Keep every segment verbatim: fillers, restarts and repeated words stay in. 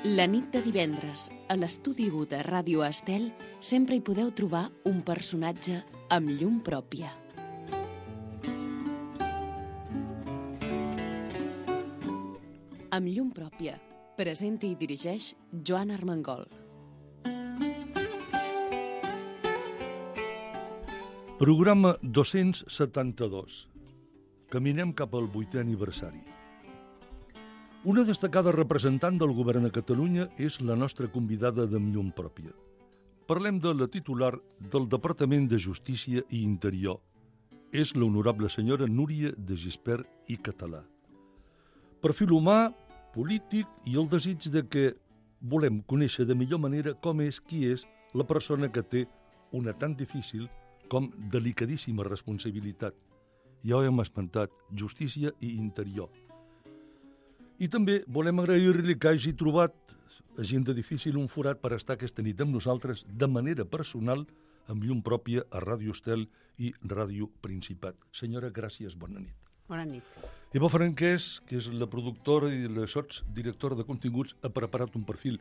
La nit de divendres, a l'estudi u de Ràdio Estel, sempre hi podeu trobar un personatge amb llum pròpia. Amb llum pròpia, presenta i dirigeix Joan Armengol. Programa dos-cents setanta-dos. Caminem cap al vuitè aniversari. Una destacada representant del govern a Catalunya és la nostra convidada d'Amb llum pròpia. Parlem de la titular del Departament de Justícia i Interior. És l'honorable senyora Núria de Gispert i Català. Perfil humà, polític i el desig de que volem conèixer de millor manera com és qui és la persona que té una tan difícil com delicadíssima responsabilitat. Ja ho hem esmentat, justícia i interior. I també volem agrair-li que hagi trobat, gent de difícil, un forat per estar aquesta nit amb nosaltres de manera personal, amb llum pròpia a Ràdio Estel i Ràdio Principat. Senyora, gràcies, bona nit. Bona nit. Eva Franquès, que és la productora i la sotsdirectora de continguts, ha preparat un perfil.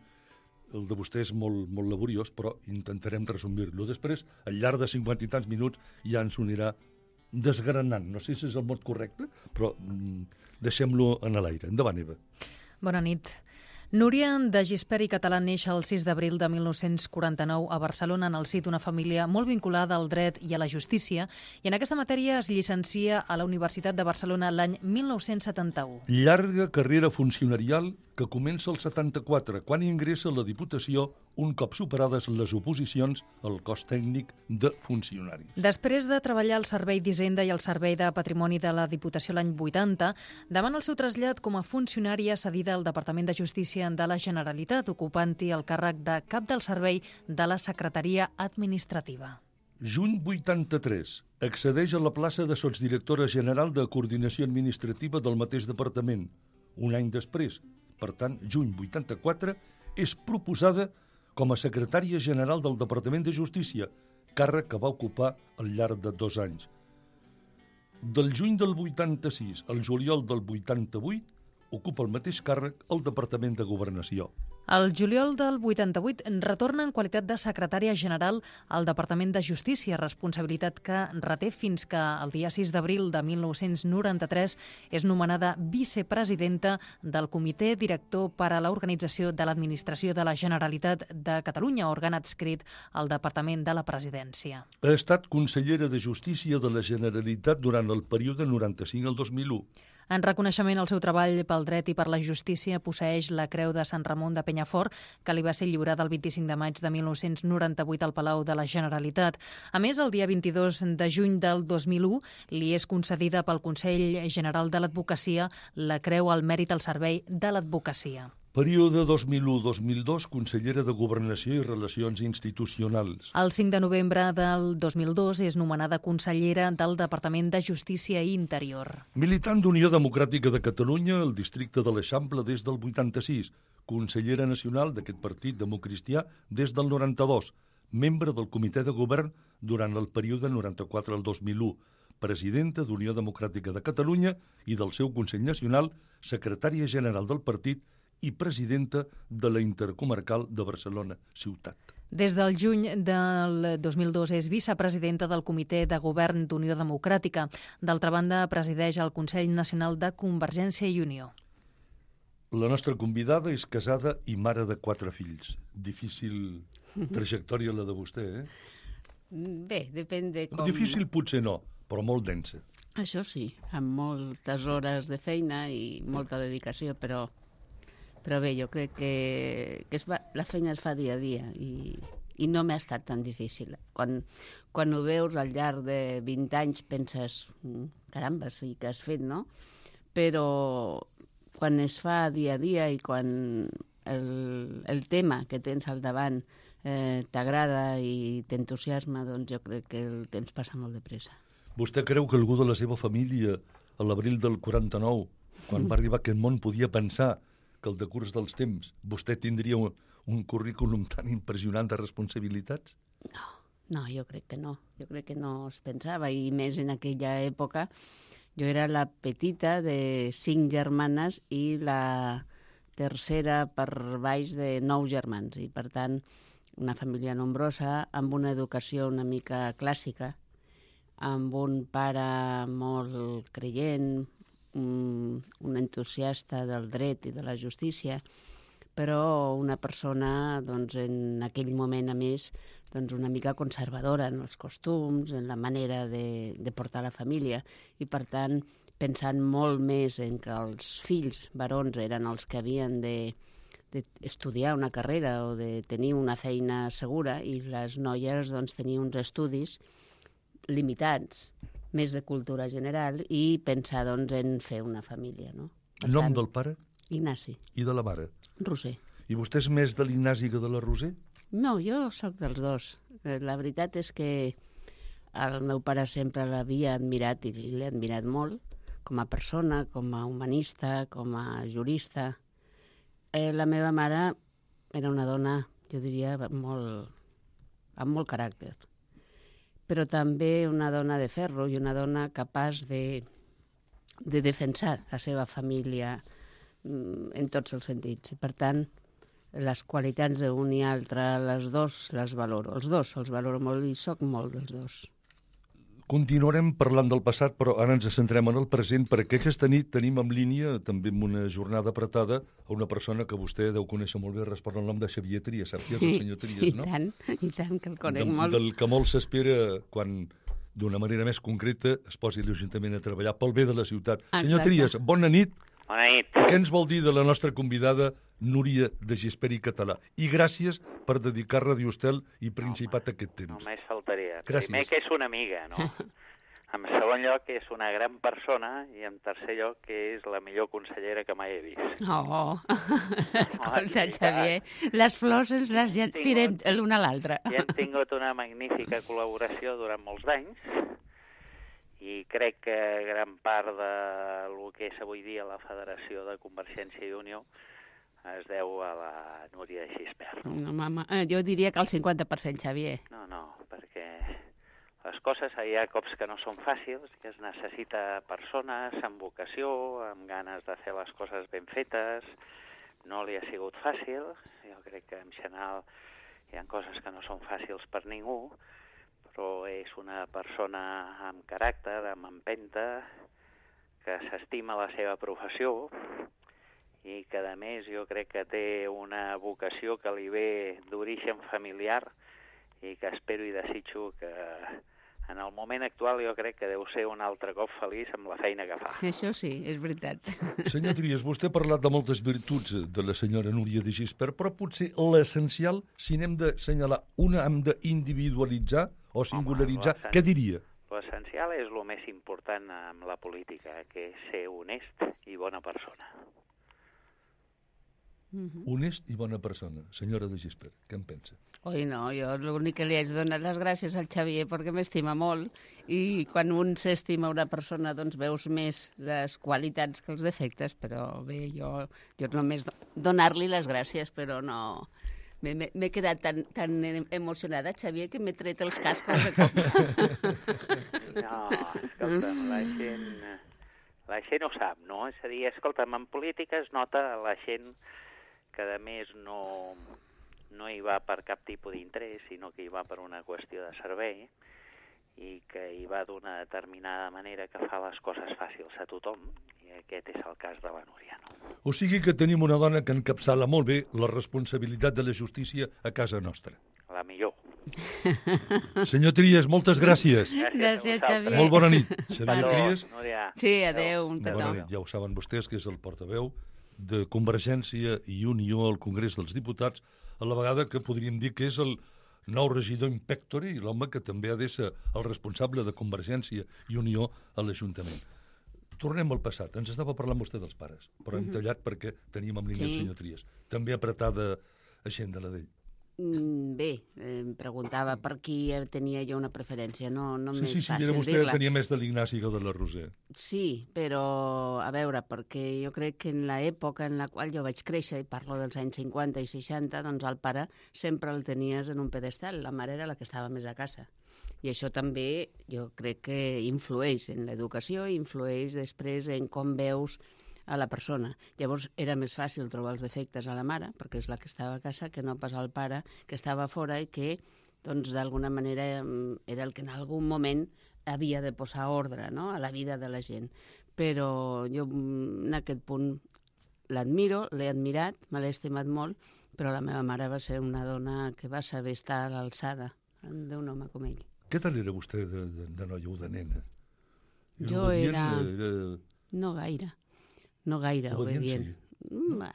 El de vostè és molt, molt laboriós, però intentarem resumir-lo. Després, al llarg de cinquanta i tants minuts, ja ens unirà desgranant. No sé si és el mot correcte, però mm, deixem-lo en l'aire. Endavant, Eva. Bona nit. Núria de Gispert i Català neix el sis d'abril de mil nou-cents quaranta-nou a Barcelona en el si d'una família molt vinculada al dret i a la justícia, i en aquesta matèria es llicencia a la Universitat de Barcelona l'any mil nou-cents setanta-u. Llarga carrera funcionarial que comença el setanta-quatre, quan ingressa a la Diputació un cop superades les oposicions al cos tècnic de funcionaris. Després de treballar al Servei d'Hisenda i al Servei de Patrimoni de la Diputació l'any vuitanta, demana el seu trasllat com a funcionària cedida al Departament de Justícia de la Generalitat, ocupant-hi el càrrec de cap del servei de la Secretaria Administrativa. Juny vuitanta-tres. Accedeix a la plaça de sotsdirectora general de Coordinació Administrativa del mateix departament. Un any després, per tant, juny vuitanta-quatre, és proposada com a secretària general del Departament de Justícia, càrrec que va ocupar al llarg de dos anys. Del juny del vuitanta-sis al juliol del vuitanta-vuit, ocupa el mateix càrrec al Departament de Governació. El juliol del vuitanta-vuit retorna en qualitat de secretària general al Departament de Justícia, responsabilitat que reté fins que el dia sis d'abril de mil nou-cents noranta-tres és nomenada vicepresidenta del Comitè Director per a l'Organització de l'Administració de la Generalitat de Catalunya, òrgan adscrit al Departament de la Presidència. Ha estat consellera de Justícia de la Generalitat durant el període noranta-cinc al dos mil u. En reconeixement al seu treball pel dret i per la justícia, posseeix la Creu de Sant Ramon de Penyafort, que li va ser lliurada el vint-i-cinc de maig de mil nou-cents noranta-vuit al Palau de la Generalitat. A més, el dia vint-i-dos de juny del dos mil u li és concedida pel Consell General de l'Advocacia la Creu al Mèrit al Servei de l'Advocacia. Període dos mil u a dos mil dos, consellera de Governació i Relacions Institucionals. El cinc de novembre del dos mil dos és nomenada consellera del Departament de Justícia i Interior. Militant d'Unió Democràtica de Catalunya al districte de l'Eixample des del vuitanta-sis, consellera nacional d'aquest partit democristià des del noranta-dos, membre del Comitè de Govern durant el període noranta-quatre al dos mil u, presidenta d'Unió Democràtica de Catalunya i del seu Consell Nacional, secretària general del partit i presidenta de la Intercomarcal de Barcelona Ciutat. Des del juny del dos mil dos és vicepresidenta del Comitè de Govern d'Unió Democràtica. D'altra banda, presideix el Consell Nacional de Convergència i Unió. La nostra convidada és casada i mare de quatre fills. Difícil trajectòria la de vostè, eh? Bé, depèn de com... Difícil potser no, però molt densa. Això sí, amb moltes hores de feina i molta dedicació, però... Però bé, jo crec que, que es va, la feina es fa dia a dia i, i no m'ha estat tan difícil. Quan, quan ho veus al llarg de vint anys penses, caramba, sí que has fet, no? Però quan es fa dia a dia i quan el, el tema que tens al davant eh, t'agrada i t'entusiasma, doncs jo crec que el temps passa molt de pressa. Vostè creu que algú de la seva família, a l'abril del quaranta-nou, quan va arribar a aquest món, podia pensar que el decurs dels temps vostè tindria un, un currículum tan impressionant de responsabilitats? No, no, jo crec que no. Jo crec que no es pensava, i més en aquella època. Jo era la petita de cinc germanes i la tercera per baix de nou germans i, per tant, una família nombrosa, amb una educació una mica clàssica, amb un pare molt creient, un, un entusiasta del dret i de la justícia, però una persona, doncs, en aquell moment, a més, doncs, una mica conservadora en els costums, en la manera de, de portar la família, i, per tant, pensant molt més en que els fills varons eren els que havien de, de estudiar una carrera o de tenir una feina segura, i les noies, doncs, tenien uns estudis limitats, més de cultura general, i pensar, doncs, en fer una família, no? El nom del pare? Ignasi. I de la mare? Roser. I vostè és més de l'Ignasi que de la Roser? No, jo sóc dels dos. La veritat és que el meu pare sempre l'havia admirat i l'he admirat molt, com a persona, com a humanista, com a jurista. Eh, la meva mare era una dona, jo diria, molt, amb molt caràcter, però també una dona de ferro i una dona capaç de, de defensar la seva família en tots els sentits. I, per tant, les qualitats d'un i altre, les dos les valoro. Els dos els valoro molt i soc molt dels dos. Continuarem parlant del passat, però ara ens centrem en el present, perquè aquesta nit tenim en línia, també en una jornada apretada, a una persona que vostè deu conèixer molt bé, respon al nom de Xavier Trias. Sap qui és el senyor Trias, no? I tant, i tant, que el conec de, molt. Del que molt s'espera quan, d'una manera més concreta, es posi l'Ajuntament a treballar pel bé de la ciutat. Exacte. Senyor Trias, bona nit. Bona nit. Què ens vol dir de la nostra convidada Núria de Gispert i Català? I gràcies per dedicar Radio Estel i Principat a aquest temps. Només faltaria. Gràcies. Primer que és una amiga, no? En segon lloc, que és una gran persona, i en tercer lloc, que és la millor consellera que mai he vist. Oh, escolta, Xavier, les flors ens les ja tirem l'una a l'altra. I hem tingut una magnífica col·laboració durant molts anys, i crec que gran part del que és avui dia la Federació de Convergència i Unió es deu a la Núria de Gispert. No, mama, jo diria que el cinquanta per cent, Xavier. No, no, perquè les coses hi ha cops que no són fàcils, que es necessita persones amb vocació, amb ganes de fer les coses ben fetes. No li ha sigut fàcil, jo crec que en general hi ha coses que no són fàcils per ningú, però és una persona amb caràcter, amb empenta, que s'estima la seva professió i que, a més, jo crec que té una vocació que li ve d'origen familiar i que espero i desitjo que en el moment actual jo crec que deu ser un altre cop feliç amb la feina que fa. Això sí, és veritat. Senyor Trias, vostè ha parlat de moltes virtuts de la senyora Núria de Gispert, però potser l'essencial, si n'hem d'assenyalar una, hem d'individualitzar o singularitzar, Home, què diria? L'essencial és el més important en la política, que és ser honest i bona persona. Uh-huh. Honest i bona persona. Senyora de Gispert, què en pensa? Oi, no, jo l'únic que li haig de donar les gràcies al Xavier perquè m'estima molt i quan un s'estima una persona doncs veus més les qualitats que els defectes, però bé, jo, jo només donar-li les gràcies, però no... M'he quedat tan, tan emocionada, Xavier, que m'he tret els cascos de cop. No, escolta'm, la gent, la gent ho sap, no? És a dir, escolta'm, en política es nota la gent que, a més, no, no hi va per cap tipus d'interès, sinó que hi va per una qüestió de servei i que hi va d'una determinada manera que fa les coses fàcils a tothom, i aquest és el cas de la Núria, no? O sigui que tenim una dona que encapçala molt bé la responsabilitat de la justícia a casa nostra. La millor. Senyor Trias, moltes gràcies. Gràcies, Xavier. Molt bona nit. Xavier Adéu, Trias. Núria. Sí, adéu, un petó. Bona nit. Ja ho saben vostès, que és el portaveu de Convergència i Unió al Congrés dels Diputats, a la vegada que podríem dir que és el nou regidor in pectore i l'home que també ha de ser el responsable de Convergència i Unió a l'Ajuntament. Tornem al passat. Ens estava parlant vostè dels pares, però hem tallat perquè teníem en línia el senyor Trias. També apretada agenda la d'ell. Bé, em preguntava per qui tenia jo una preferència, no, no Sí, m'és sí, sí, fàcil era vostè dir-la. tenia més de l'Ignasi que de la Roser. Sí, però a veure, perquè jo crec que en l'època en la qual jo vaig créixer, i parlo dels anys cinquanta i seixanta, doncs el pare sempre el tenies en un pedestal, la mare era la que estava més a casa. I això també jo crec que influeix en l'educació, influeix després en com veus a la persona. Llavors era més fàcil trobar els defectes a la mare, perquè és la que estava a casa, que no pas al pare, que estava fora i que, doncs, d'alguna manera era el que en algun moment havia de posar ordre, no?, a la vida de la gent. Però jo en aquest punt l'admiro, l'he admirat, me l'he estimat molt, però la meva mare va ser una dona que va saber estar a l'alçada d'un home com ell. Què tal era vostè de, de, de noia o de nena? Era Jo obedient, era... era... No gaire. No gaire obedient. Sí.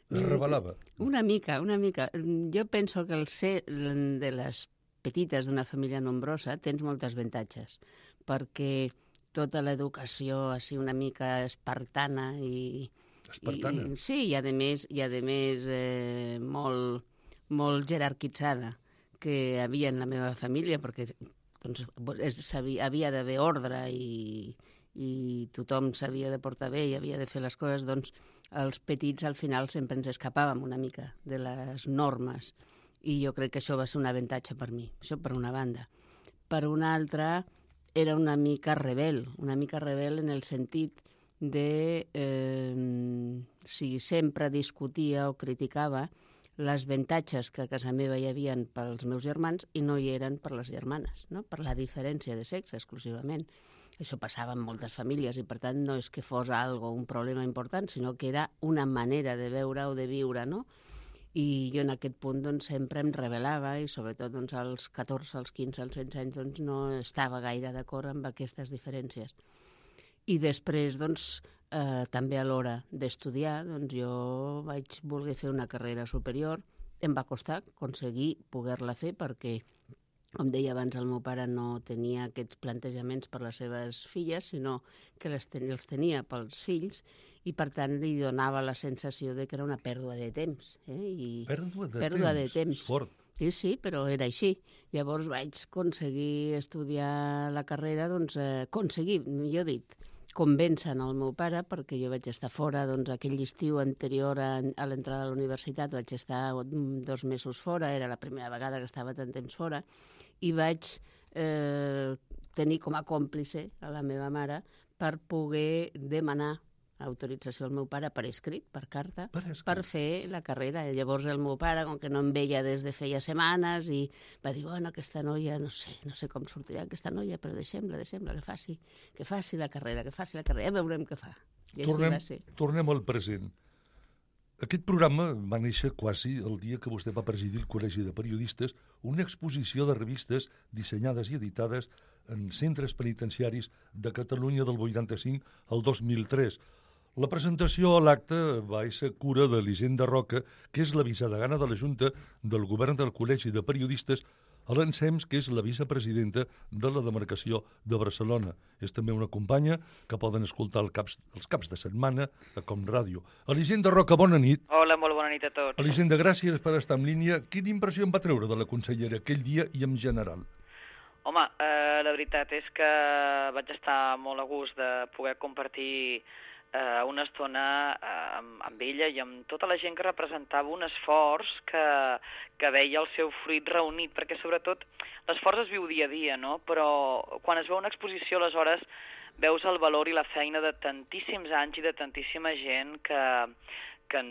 Es rebel·lava? Una mica, una mica. Jo penso que el ser de les petites d'una família nombrosa tens moltes avantatges, perquè tota l'educació així una mica espartana i... Espartana? I, sí, i a més, i a més eh, molt, molt jerarquitzada que havia en la meva família, perquè doncs, havia d'haver ordre i, i tothom s'havia de portar bé i havia de fer les coses, doncs els petits al final sempre ens escapàvem una mica de les normes i jo crec que això va ser un avantatge per mi, això per una banda. Per una altra, era una mica rebel, una mica rebel en el sentit de eh, si sempre discutia o criticava les avantatges que a casa meva hi havia pels meus germans i no hi eren per les germanes, no? Per la diferència de sexe exclusivament. Això passava en moltes famílies i, per tant, no és que fos algo, un problema important, sinó que era una manera de veure o de viure, no? I jo en aquest punt doncs, sempre em rebel·lava i sobretot doncs, als catorze, als quinze, als setze anys doncs, no estava gaire d'acord amb aquestes diferències. I després, doncs, eh, també a l'hora d'estudiar, doncs jo vaig voler fer una carrera superior. Em va costar aconseguir poder-la fer perquè, com deia abans, el meu pare no tenia aquests plantejaments per les seves filles, sinó que les ten- els tenia pels fills i, per tant, li donava la sensació de que era una pèrdua de temps. Eh? I Pèrdua de pèrdua temps. de temps. Fort. Sí, sí, però era així. Llavors vaig aconseguir estudiar la carrera, doncs, eh, aconseguir, millor dit, convèncer el meu pare, perquè jo vaig estar fora, doncs aquell estiu anterior a, a l'entrada a la universitat vaig estar dos mesos fora, era la primera vegada que estava tant temps fora, i vaig eh, tenir com a còmplice a la meva mare per poder demanar autorització al meu pare per escrit, per carta, Per escrit. per fer la carrera. Llavors el meu pare, com que no em veia des de feia setmanes, i va dir, bueno, aquesta noia, no sé, no sé com sortirà aquesta noia, però deixem-la, deixem-la, que faci, que faci la carrera, que faci la carrera, ja veurem què fa. I Tornem, així va ser. tornem al present. Aquest programa va néixer quasi el dia que vostè va presidir el Col·legi de Periodistes, una exposició de revistes dissenyades i editades en centres penitenciaris de Catalunya del vuitanta-cinc al dos mil tres. La presentació a l'acte va ser cura d'Elisenda Roca, que és la vicedegana de la Junta del Govern del Col·legi de Periodistes, a l'Ensems, que és la vicepresidenta de la demarcació de Barcelona. És també una companya que poden escoltar els caps, els caps de setmana a Com Ràdio. Elisenda Roca, bona nit. Hola, molt bona nit a tots. Elisenda, gràcies per estar en línia. Quina impressió em va treure de la consellera aquell dia i en general? Home, eh, la veritat és que vaig estar molt a gust de poder compartir eh, una estona eh, amb, amb ella i amb tota la gent que representava un esforç que, que veia el seu fruit reunit, perquè sobretot l'esforç es viu dia a dia, no? Però quan es veu una exposició, aleshores veus el valor i la feina de tantíssims anys i de tantíssima gent que, que,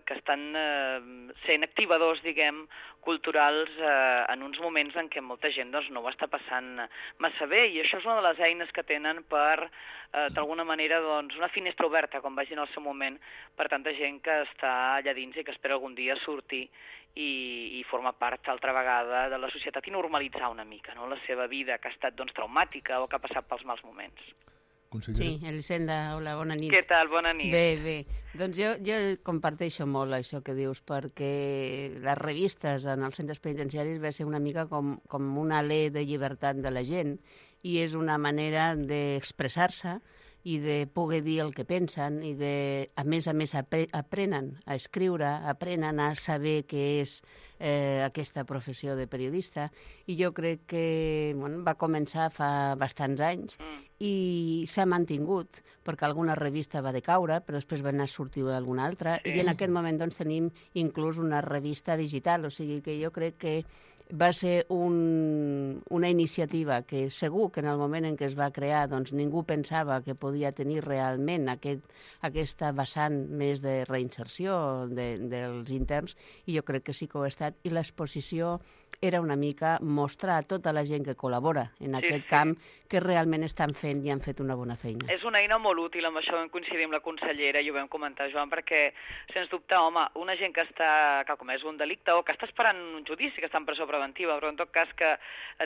que estan eh, sent activadors, diguem, culturals eh, en uns moments en què molta gent doncs, no ho està passant massa bé, i això és una de les eines que tenen per, eh, d'alguna manera, doncs, una finestra oberta, com vagi en el seu moment, per tanta gent que està allà dins i que espera algun dia sortir i, i formar part, altra vegada, de la societat i normalitzar una mica, no?, la seva vida, que ha estat doncs, traumàtica o que ha passat pels mals moments. Consellera. Sí, Elisenda, hola, bona nit. Què tal? Bona nit. Bé, bé. Doncs jo, jo comparteixo molt això que dius, perquè les revistes en els centres penitenciaris va ser una mica com, com un alè de llibertat de la gent i és una manera d'expressar-se i de poder dir el que pensen i de, a més a més, apre aprenen a escriure, aprenen a saber què és eh, aquesta professió de periodista i jo crec que bueno, va començar fa bastants anys Mm. i s'ha mantingut, perquè alguna revista va decaure, però després va anar a sortir alguna altra, Sí. i en aquest moment doncs, tenim inclús una revista digital, o sigui que jo crec que va ser un, un una iniciativa que segur que en el moment en què es va crear doncs, ningú pensava que podia tenir realment aquest, aquesta vessant més de reinserció de, dels interns, i jo crec que sí que ho ha estat. I l'exposició era una mica mostrar a tota la gent que col·labora en Sí, aquest sí. camp que realment estan fent i han fet una bona feina. És una eina molt útil, amb això vam coincidir amb la consellera i ho vam comentar, Joan, perquè, sens dubte, home, una gent que està que ha comès un delicte o que està esperant un judici, que està en presó preventiva, però en tot cas que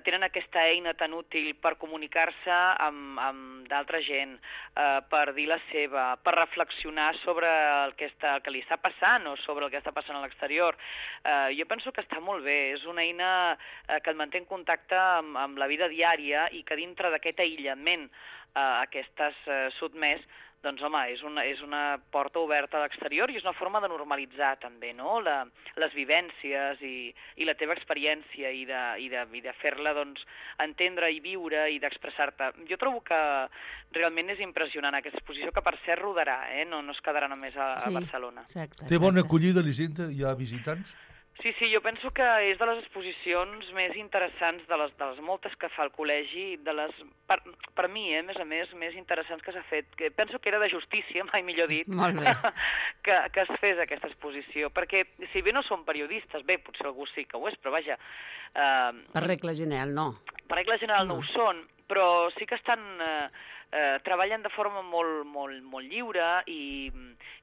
tenen aquesta eina tan útil per comunicar-se amb, amb d'altra gent, eh, per dir la seva, per reflexionar sobre el que, està, el que li està passant o sobre el que està passant a l'exterior. Eh, jo penso que està molt bé, és una eina eh, que et manté en contacte amb, amb la vida diària i que dintre d'aquest aïllament eh, a què estàs eh, sotmès, doncs, home, és una, és una porta oberta a l'exterior i és una forma de normalitzar també, no?, la, les vivències i, i la teva experiència i de, i de, i de fer-la, doncs, entendre i viure i d'expressar-te. Jo trobo que realment és impressionant aquesta exposició, que per cert rodarà, eh?, no, no es quedarà només a, a Barcelona. Exacte, Té bona exacte. acollida, Elisenda? Hi ha visitants? Sí, sí, jo penso que és de les exposicions més interessants, de les, de les moltes que fa el col·legi, de les, per, per mi, eh, a més a més, més interessants que s'ha fet, que penso que era de justícia, mai millor dit, Molt bé. que, que es fes aquesta exposició, perquè si bé no són periodistes, bé, potser algú sí que ho és, però vaja... Eh, Per regla general, no. per regla general no, no ho són, però sí que estan... Eh, Eh, treballen de forma molt, molt, molt lliure i,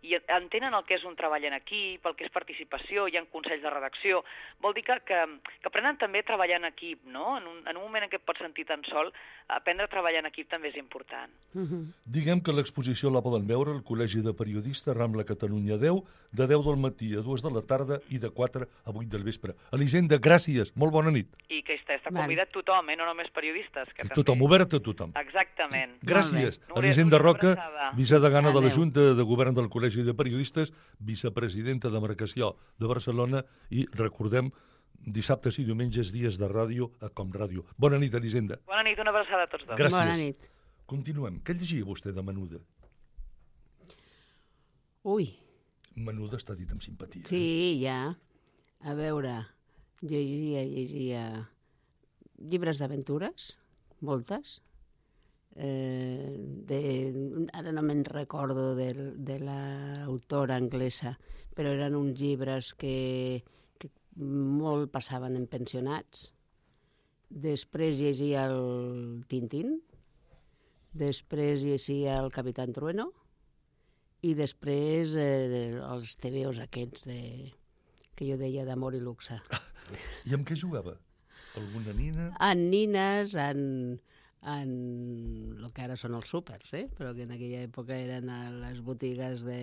i entenen el que és un treball en equip, el que és participació, hi ha consells de redacció. Vol dir que, que, que aprenen també a treballar en equip, no? En un, en un moment en què et pots sentir tan sol, aprendre a treballar en equip també és important. Uh-huh. Diguem que l'exposició la poden veure al Col·legi de Periodistes Rambla Catalunya deu, de deu del matí a dues de la tarda i de quatre a vuit del vespre. Elisenda, gràcies, molt bona nit. I que està, està Vale. convidat tothom, eh? No només periodistes. Que Sí, també... tothom, obert a tothom. Exactament. Gràcies. Molt bé. Elisenda Núria, Roca, una abraçada. vicedegana de la Adéu. Junta de Govern del Col·legi de Periodistes, vicepresidenta de Marcació de Barcelona i, recordem, dissabtes i diumenges dies de ràdio a Com Ràdio. Bona nit, Elisenda. Bona nit, una abraçada a tots dos. Gràcies. Bona nit. Continuem. Què llegia vostè de Menuda? Ui, Menuda està dit amb simpatia. sí, ja. A veure, llegia, llegia llibres d'aventures, moltes. Eh, de, ara no me'n recordo de, de l'autora anglesa, però eren uns llibres que, que molt passaven en pensionats. Després llegia el Tintín, després llegia el Capitán Trueno i després eh, els tebeos aquests de, que jo deia d'amor i luxe. I amb què jugava? Alguna nina? En nines, en, en el que ara són els súpers, eh? Però que en aquella època eren a les botigues de,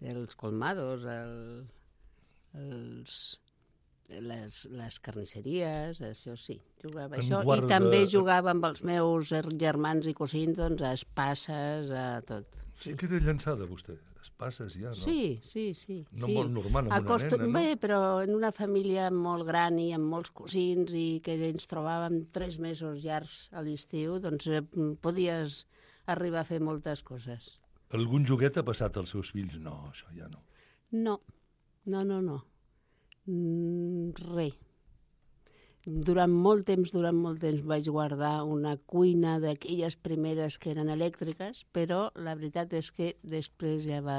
dels colmados, el, els, les, les carnisseries, això sí, jugava En això. guarda- I també jugava amb els meus germans i cosins, doncs, a espasses, a tot. Sí que era llançada, vostè. Es passes ja, no? Sí, sí, sí. No sí. molt normal, amb Acosto... una nena, no? Bé, però en una família molt gran i amb molts cosins i que ens trobàvem tres mesos llargs a l'estiu, doncs eh, podies arribar a fer moltes coses. Algun joguet ha passat als seus fills? No, això ja no. No, no, no, no. Mm, res. Durant molt temps, durant molt temps vaig guardar una cuina d'aquelles primeres que eren elèctriques, però la veritat és que després ja va,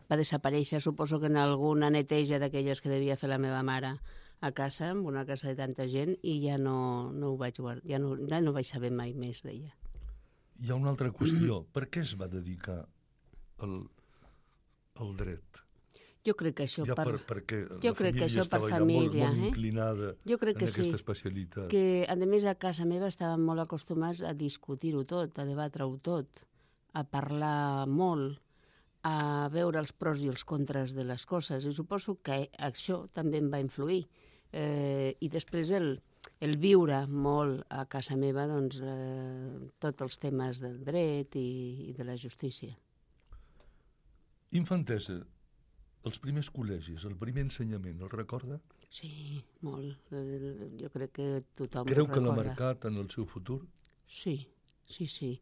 va desaparèixer. Suposo que en alguna neteja d'aquelles que devia fer la meva mare a casa, en una casa de tanta gent, i ja no, no ho vaig guardar, ja no, ja no vaig saber mai més d'ella. Hi ha una altra qüestió. Per què es va dedicar al, al dret? Jo crec que això Ja per... per, perquè jo la crec que família això per estava família, ja molt, molt eh? inclinada Jo crec en que aquesta sí. especialitat. Que, a més, a casa meva estàvem molt acostumats a discutir-ho tot, a debatre-ho tot, a parlar molt, a veure els pros i els contres de les coses. I suposo que això també em va influir. Eh, I després el, el viure molt a casa meva, doncs, eh, tots els temes del dret i, i de la justícia. Infantesa, els primers col·legis, el primer ensenyament, el recorda? Sí, molt. Eh, Jo crec que tothom Creu ho que l'ha recorda. marcat en el seu futur? Sí, sí, sí.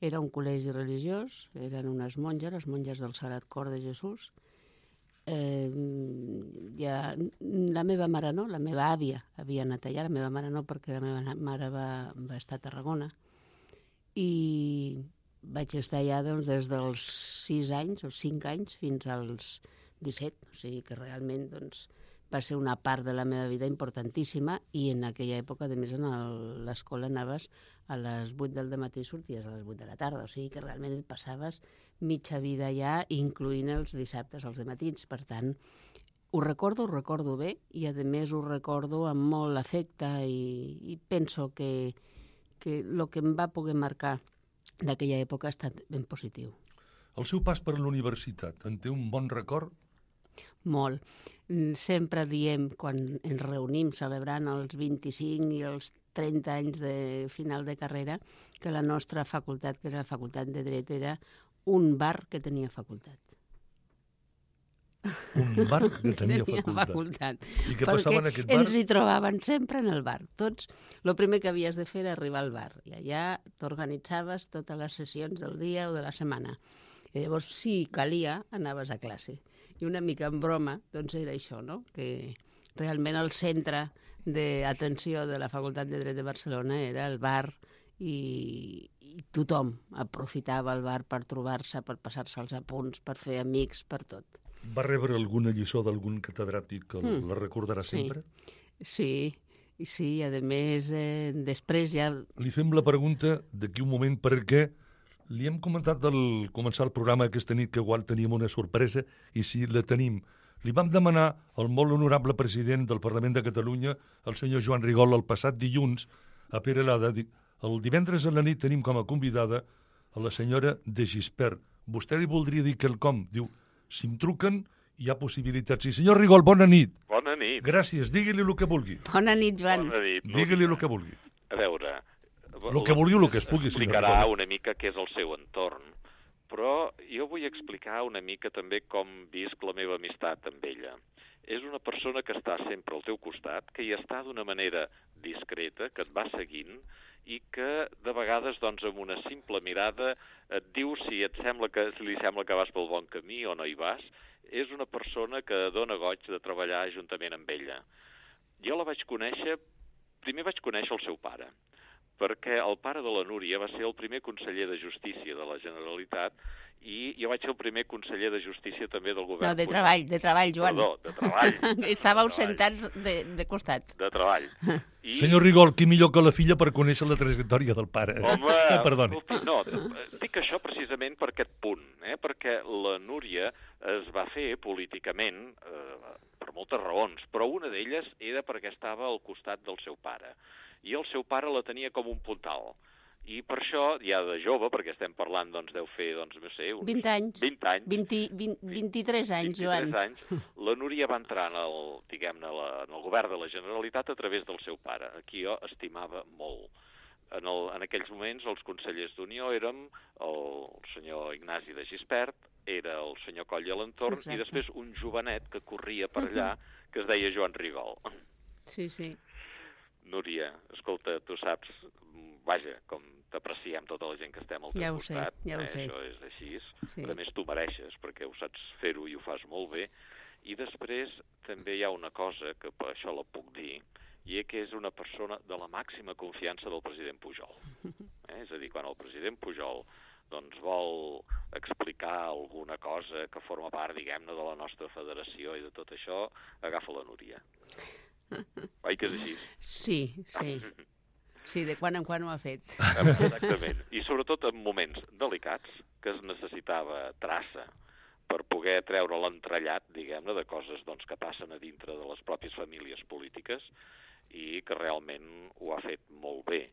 Era un col·legi religiós, eren unes monges, les monges del Sagrat Cor de Jesús, eh, ja, la meva mare no, la meva àvia havia anat allà, la meva mare no, perquè la meva mare va, va estar a Tarragona. I vaig estar allà doncs, des dels sis anys o cinc anys fins als disset, o sigui que realment doncs, va ser una part de la meva vida importantíssima i en aquella època, a més, a l'escola anaves a les vuit del matí i sorties a les vuit de la tarda, o sigui que realment et passaves mitja vida allà, incloent els dissabtes als dematins. Per tant, ho recordo, ho recordo bé i a més ho recordo amb molt afecte i, i penso que, que el que em va poder marcar d'aquella època ha estat ben positiu. El seu pas per l'universitat, en té un bon record? Molt. Sempre diem, quan ens reunim celebrant els vint-i-cinc i els trenta anys de final de carrera, que la nostra facultat, que era la facultat de Dret, era un bar que tenia facultat. Un bar que tenia, tenia facultat. facultat. I què passava en aquest bar? Ens hi trobaven sempre en el bar. Tots, el primer que havies de fer era arribar al bar. I allà t'organitzaves totes les sessions del dia o de la setmana. I llavors, si calia, anaves a classe. I una mica en broma, doncs era això, no? Que realment el centre d'atenció de la Facultat de Dret de Barcelona era el bar i, i tothom aprofitava el bar per trobar-se, per passar-se els apunts, per fer amics, per tot. Va rebre alguna lliçó d'algun catedràtic que mm. la recordarà sí. sempre? Sí, sí, i a més, eh, després ja... Li fem la pregunta d'aquí un moment perquè li hem comentat al començar el programa aquesta nit que igual teníem una sorpresa i si la tenim. Li vam demanar al molt honorable president del Parlament de Catalunya, el senyor Joan Rigol, el passat dilluns a Perelada. El divendres a la nit tenim com a convidada a la senyora de Gispert. Vostè li voldria dir quelcom? Diu, si em truquen hi ha possibilitats. Sí, senyor Rigol, bona nit. Bona nit. Gràcies, digui-li el que vulgui. Bona nit, Joan. Bona nit. Digui-li el que vulgui. A veure... El que vulgui, el que es pugui. Explicarà una mica què és el seu entorn, però jo vull explicar una mica també com visc la meva amistat amb ella. És una persona que està sempre al teu costat, que hi està d'una manera discreta, que et va seguint i que de vegades doncs, amb una simple mirada et diu si et sembla que si li sembla que vas pel bon camí o no hi vas. És una persona que dona goig de treballar juntament amb ella. Jo la vaig conèixer, primer vaig conèixer el seu pare, perquè el pare de la Núria va ser el primer conseller de Justícia de la Generalitat i jo vaig ser el primer conseller de Justícia també del govern. No, de treball, de treball, Joan. Perdó, de treball. Estàveu de sentats de, de costat. De treball. I... Senyor Rigol, qui millor que la filla per conèixer la trajectòria del pare? Home, eh, perdoni. No, dic això precisament per aquest punt, eh? Perquè la Núria es va fer políticament eh, per moltes raons, però una d'elles era perquè estava al costat del seu pare. I el seu pare la tenia com un puntal. I per això, ja de jove, perquè estem parlant, doncs, deu fer, doncs, no sé... Uns vint anys. vint anys. vint, vint, vint-i-tres anys, Joan. vint-i-tres anys. La Núria va entrar en el, diguem-ne, en el govern de la Generalitat a través del seu pare, a qui jo estimava molt. En, el, en aquells moments, els consellers d'Unió érem el senyor Ignasi de Gispert, era el senyor Coll i Alentorn, i després un jovenet que corria per allà, que es deia Joan Rigol. Sí, sí. Núria, escolta, tu saps, vaja, com t'apreciem tota la gent que estem al teu ja costat. Sé, ja ho eh? sé. Això és així. Sí. A més, tu mereixes, perquè ho saps fer-ho i ho fas molt bé. I després també hi ha una cosa que per això la puc dir, i és que és una persona de la màxima confiança del president Pujol. Eh? És a dir, quan el president Pujol doncs, vol explicar alguna cosa que forma part, diguem-ne, de la nostra federació i de tot això, agafa la Núria. Oi que és així? Sí, sí. Sí, de quan en quan ho ha fet. Exactament. I sobretot en moments delicats, que es necessitava traça per poder treure l'entrellat, diguem-ne, de coses doncs, que passen a dintre de les pròpies famílies polítiques i que realment ho ha fet molt bé.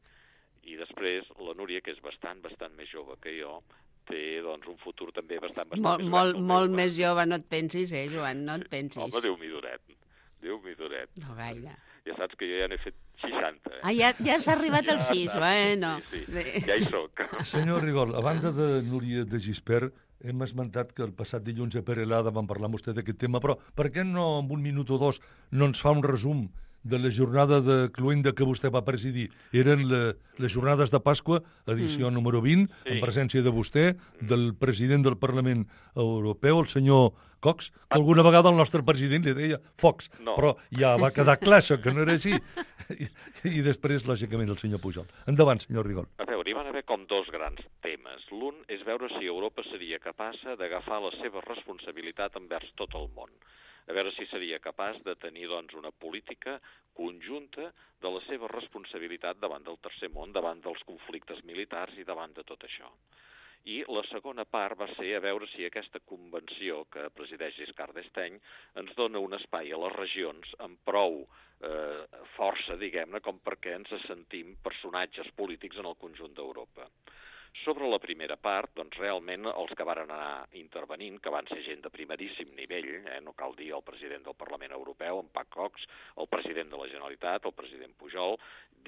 I després la Núria, que és bastant, bastant més jove que jo, té doncs, un futur també bastant, bastant molt, més molt, gran. Molt més jove, no et pensis, eh, Joan, no et pensis. Home, Déu-m'hi duret. Déu-m'hi duret. No gaire. Ja saps que jo ja n'he fet seixanta. Eh? Ah, ja, ja s'ha arribat al sis, bueno. Sí, sí, ja hi soc. Senyor Rigol, a banda de Núria de Gispert, hem esmentat que el passat dilluns a Perelada vam parlar amb vostè d'aquest tema, però per què no, en un minut o dos, no ens fa un resum de la jornada de Cluenda que vostè va presidir. Eren la, les jornades de Pasqua, edició mm. número vint, sí. en presència de vostè, del president del Parlament Europeu, el senyor Cox, que alguna vegada el nostre president li deia Fox, no. però ja va quedar clar això, que no era així. I, i després, lògicament, el senyor Pujol. Endavant, senyor Rigol. A veure, hi van haver com dos grans temes. L'un és veure si Europa seria capaç d'agafar la seva responsabilitat envers tot el món. A veure si seria capaç de tenir doncs, una política conjunta de la seva responsabilitat davant del tercer món, davant dels conflictes militars i davant de tot això. I la segona part va ser a veure si aquesta convenció que presideix Giscard d'Estaing ens dona un espai a les regions amb prou eh, força, diguem-ne, com perquè ens sentim personatges polítics en el conjunt d'Europa. Sobre la primera part, doncs realment els que varen anar intervenint, que van ser gent de primeríssim nivell, eh, no cal dir el president del Parlament Europeu, en Pat Cox, el president de la Generalitat, el president Pujol,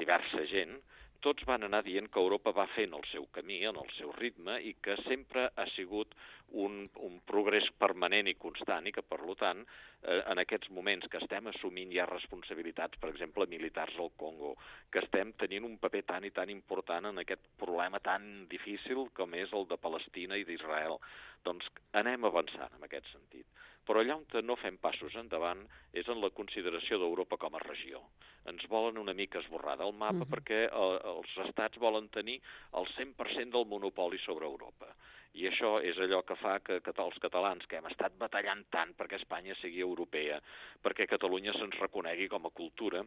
diversa gent, tots van anar dient que Europa va fent el seu camí, en el seu ritme, i que sempre ha sigut un, un progrés permanent i constant, i que, per tant, eh, en aquests moments que estem assumint ja responsabilitats, per exemple, militars al Congo, que estem tenint un paper tan i tan important en aquest problema tan difícil com és el de Palestina i d'Israel, doncs anem avançant en aquest sentit. Però allà on no fem passos endavant és en la consideració d'Europa com a regió. Ens volen una mica esborrar del mapa uh-huh. perquè eh, els estats volen tenir el cent per cent del monopoli sobre Europa. I això és allò que fa que, que els catalans, que hem estat batallant tant perquè Espanya sigui europea, perquè Catalunya se'ns reconegui com a cultura,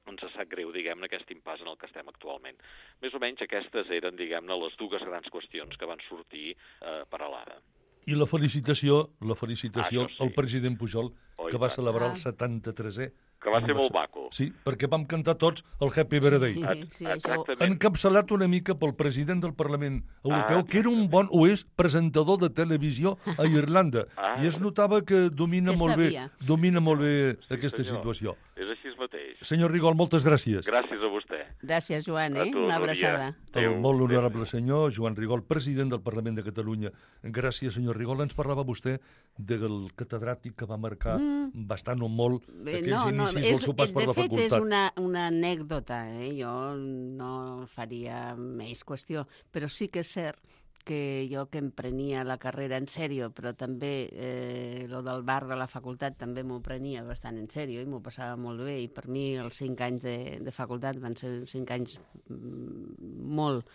ens sap greu, diguem-ne, aquest impàs en el que estem actualment. Més o menys aquestes eren, diguem-ne, les dues grans qüestions que van sortir eh, per a l'ara. I la felicitació, la felicitació ah, sí. al president Pujol, oh, que va celebrar ah. el setanta-tresè. Que va ser molt maco. Sí, perquè vam cantar tots el Happy Birthday. Sí, sí, Exactament. Encapçalat una mica pel president del Parlament Europeu, ah, que era un bon, o és, presentador de televisió a Irlanda. Ah, I es notava que domina que molt sabia. bé, domina molt bé sí, aquesta senyor. situació. És així mateix. Senyor Rigol, moltes gràcies. Gràcies a vostè. Gràcies, Joan, eh? tu, Una abraçada. El molt honorable senyor Joan Rigol, president del Parlament de Catalunya. Gràcies, senyor Rigol. Ens parlava vostè del catedràtic que va marcar mm. bastant o molt aquells no, no, inicis del seu pas per la facultat. De fet, és una, una anècdota, eh? Jo no faria més qüestió, però sí que és cert que jo que em prenia la carrera en sèrio, però també eh, lo del bar de la facultat també m'ho prenia bastant en sèrio i m'ho passava molt bé, i per mi els cinc anys de, de facultat van ser cinc anys molt,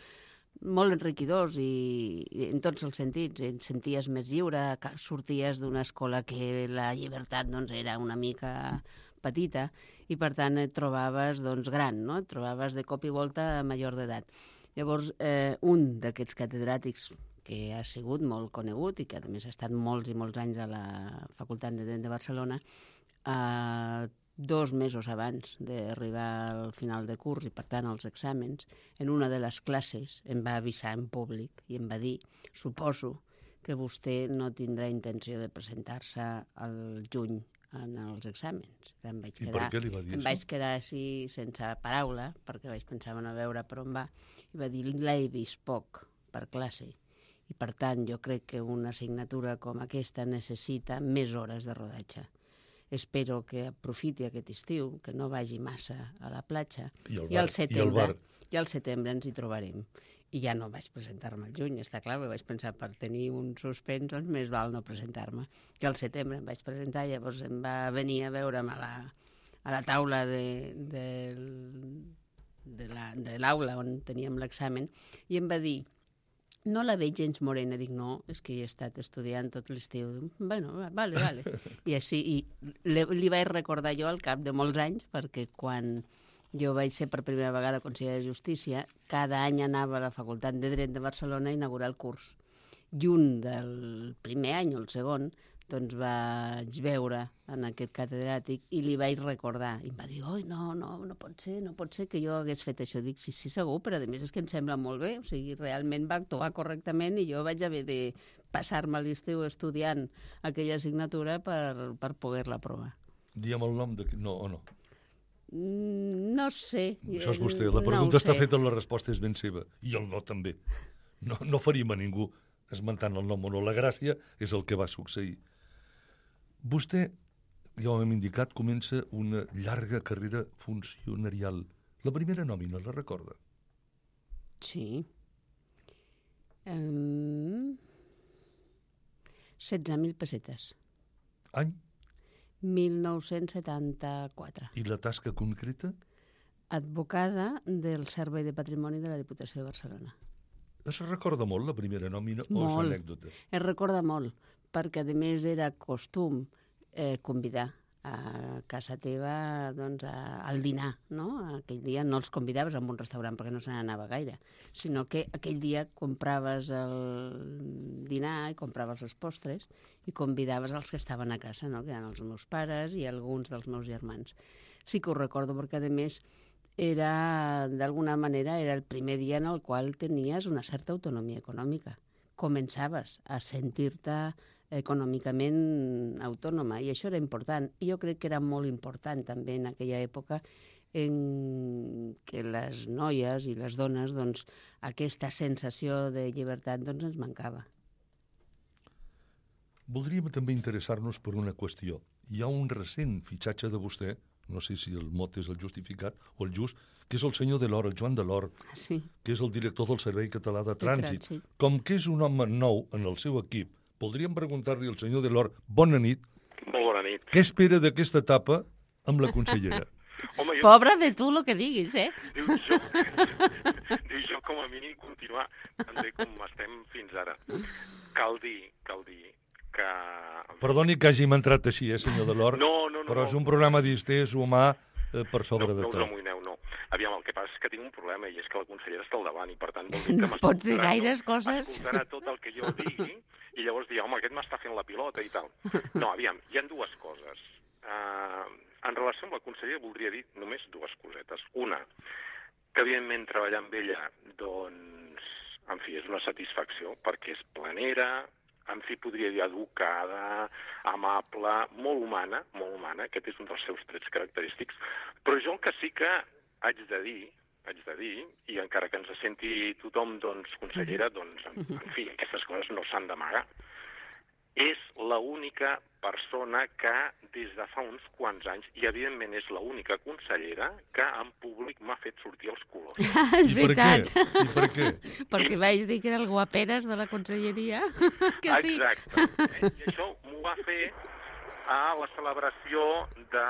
molt enriquidors i, i en tots els sentits. Et senties més lliure, sorties d'una escola que la llibertat doncs, era una mica petita i per tant et trobaves doncs, gran, no? Et trobaves de cop i volta major d'edat. Llavors, eh, un d'aquests catedràtics que ha sigut molt conegut i que a més ha estat molts i molts anys a la Facultat de Dret de Barcelona, eh, dos mesos abans d'arribar al final de curs i, per tant, als exàmens, en una de les classes em va avisar en públic i em va dir, suposo que vostè no tindrà intenció de presentar-se al juny en els exàmens. Em vaig I quedar, per què li va dir em això? vaig quedar així sense paraula, perquè vaig pensar a veure per on va, i va dir, l'he vist poc per classe, i per tant jo crec que una assignatura com aquesta necessita més hores de rodatge. Espero que aprofiti aquest estiu, que no vagi massa a la platja, I, el bar, i al setembre, i, el i al setembre ens hi trobarem. I ja no vaig presentar-me al juny, està clar, perquè vaig pensar per tenir un suspens, doncs més val no presentar-me. I al setembre em vaig presentar, llavors em va venir a veure'm a la, a la taula de, de, de, la, de l'aula on teníem l'examen i em va dir, no la veig gens morena. Dic, no, és que hi he estat estudiant tot l'estiu. Bueno, vale, vale. I així, i li, li vaig recordar jo al cap de molts anys, perquè quan jo vaig ser per primera vegada conseller de Justícia, cada any anava a la Facultat de Dret de Barcelona a inaugurar el curs. I un del primer any o el segon, doncs vaig veure en aquest catedràtic i li vaig recordar. I em va dir, oi, no, no, no pot ser, no pot ser que jo hagués fet això. Dic, sí, sí, segur, però a més és que em sembla molt bé. O sigui, realment va actuar correctament i jo vaig haver de passar-me l'estiu estudiant aquella assignatura per, per poder-la aprovar. Diem el nom de... No o no? No sé. Això és vostè. La pregunta no està feta, la resposta és ben seva. I el no també. No, no faríem a ningú esmentant el nom o no. La gràcia és el que va succeir. Vostè, ja ho hem indicat, comença una llarga carrera funcionarial. La primera nòmina, la recorda? Sí. Um, setze mil pessetes. Any? mil nou-cents setanta-quatre. I la tasca concreta? Advocada del Servei de Patrimoni de la Diputació de Barcelona. Es recorda molt la primera nòmina o és Molt. anècdota? Es recorda molt, perquè a més era costum eh, convidar a casa teva doncs, a, al dinar, no? Aquell dia no els convidaves a un restaurant perquè no se n'anava gaire, sinó que aquell dia compraves el dinar i compraves els postres i convidaves els que estaven a casa, no? Que eren els meus pares i alguns dels meus germans. Sí que ho recordo perquè, a més, era, d'alguna manera, era el primer dia en el qual tenies una certa autonomia econòmica. Començaves a sentir-te econòmicament autònoma, i això era important. I jo crec que era molt important també en aquella època en què les noies i les dones, doncs, aquesta sensació de llibertat doncs, ens mancava. Voldríem també interessar-nos per una qüestió. Hi ha un recent fitxatge de vostè, no sé si el mot és el justificat o el just, que és el senyor Delort, el Joan Delort, sí. que és el director del Servei Català de Trànsit. De trànsit. Com que és un home nou en el seu equip, voldríem preguntar-li al senyor Delort, bona nit. Molt bona nit. Què espera d'aquesta etapa amb la consellera? Home, jo... Pobre de tu, el que diguis, eh? Diu jo, diu jo com a mínim continuar tan bé com estem fins ara. Cal dir, cal dir que... Perdoni que hàgim entrat així, eh, senyor Delort? No, no, no. Però no. és un programa distès, humà, eh, per sobre no, de no tot. No us amoïneu, no. Aviam, el que passa és que tinc un problema i és que la consellera està al davant i, per tant, vol dir que no pots dir gaires no, coses. Escoltarà tot el que jo digui i llavors dir, home, aquest m'està fent la pilota i tal. No, aviam, hi ha dues coses. Uh, en relació amb la consellera voldria dir només dues cosetes. Una, que evidentment treballar amb ella, doncs, en fi, és una satisfacció perquè és planera, en fi, podria dir educada, amable, molt humana, molt humana, aquest és un dels seus trets característics, però jo el que sí que haig de dir, haig de dir, i encara que ens senti tothom, doncs, consellera, doncs, en, en fi, aquestes coses no s'han d'amagar. És l'única persona que des de fa uns quants anys, i evidentment és l'única consellera, que en públic m'ha fet sortir els colors. És veritat. I per què? I per què? Perquè vaig dir que era el guaperes de la conselleria. Que sí. Exacte. Eh? I això m'ho va fer a la celebració de,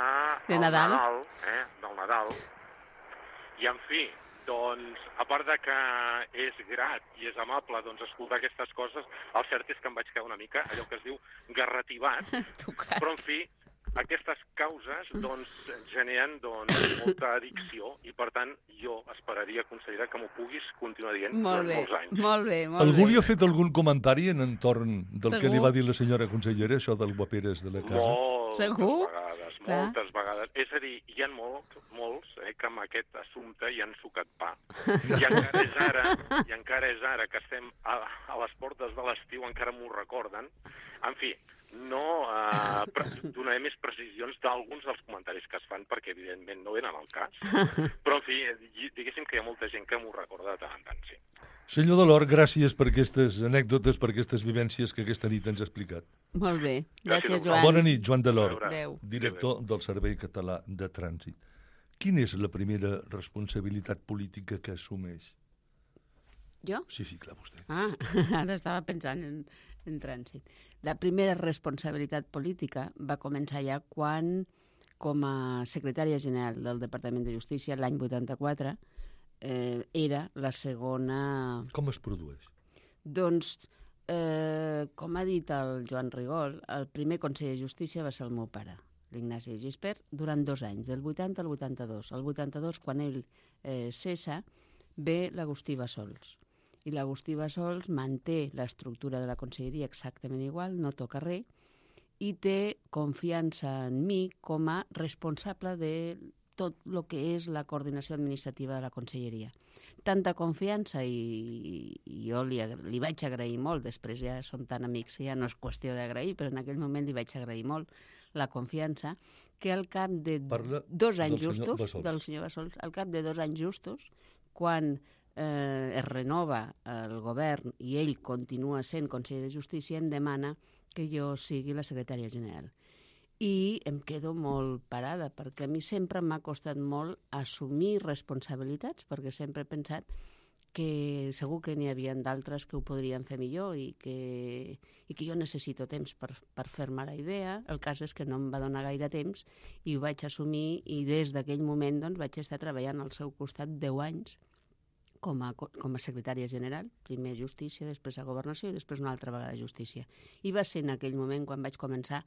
de Nadal, Nadal eh? del Nadal. I, en fi, doncs, a part de que és grat i és amable doncs, escoltar aquestes coses, el cert és que em vaig quedar una mica, allò que es diu, garrativat. Però, en fi, aquestes causes doncs, generen doncs, molta addicció i, per tant, jo esperaria, consellera, que m'ho puguis continuar dient molt durant bé, molts anys. Molt bé, molt Algú bé. li ha fet algun comentari en entorn del Segur? que li va dir la senyora consellera, això del guaperes de la casa? Moltes Segur? vegades, Clar. moltes vegades. És a dir, hi ha molts, molts eh, que amb aquest assumpte hi han sucat pa. I encara és ara, i encara és ara que estem a, a les portes de l'estiu, encara m'ho recorden. En fi, no eh, pre- donaré més precisions d'alguns dels comentaris que es fan, perquè evidentment no eren el cas. Però, en fi, diguéssim que hi ha molta gent que m'ho recorda de tant en tant, sí. Senyor Delort, gràcies per aquestes anècdotes, per aquestes vivències que aquesta nit ens ha explicat. Molt bé. Gràcies, Gràcies, Joan. Bona nit, Joan Delort, Adéu. director del Servei Català de Trànsit. Quina és la primera responsabilitat política que assumeix? Jo? Sí, sí, clar, vostè. Ah, ara estava pensant en, en trànsit. La primera responsabilitat política va començar ja quan, com a secretària general del Departament de Justícia, l'any vuitanta-quatre, eh, era la segona... Com es produeix? Doncs, eh, com ha dit el Joan Rigol, el primer conseller de Justícia va ser el meu pare, l'Ignasi Gispert, durant dos anys, del vuitanta al vuitanta-dos. El vuitanta-dos, quan ell eh, cessa, ve l'Agustí Bassols. I l'Agustí Bassols manté l'estructura de la conselleria exactament igual, no toca res, i té confiança en mi com a responsable de tot el que és la coordinació administrativa de la conselleria. Tanta confiança, i, i jo li, li vaig agrair molt, després ja som tan amics que ja no és qüestió d'agrair, però en aquell moment li vaig agrair molt la confiança, que al cap de Parla dos anys del senyor justos, Bassols. del senyor Bassols, al cap de dos anys justos, quan eh, es renova el govern i ell continua sent conseller de Justícia, em demana que jo sigui la secretària general. i em quedo molt parada, perquè a mi sempre m'ha costat molt assumir responsabilitats, perquè sempre he pensat que segur que n'hi havia d'altres que ho podrien fer millor i que, i que jo necessito temps per, per fer-me la idea. El cas és que no em va donar gaire temps i ho vaig assumir, i des d'aquell moment doncs, vaig estar treballant al seu costat deu anys com a, com a secretària general, primer Justícia, després a Governació i després una altra vegada Justícia. I va ser en aquell moment quan vaig començar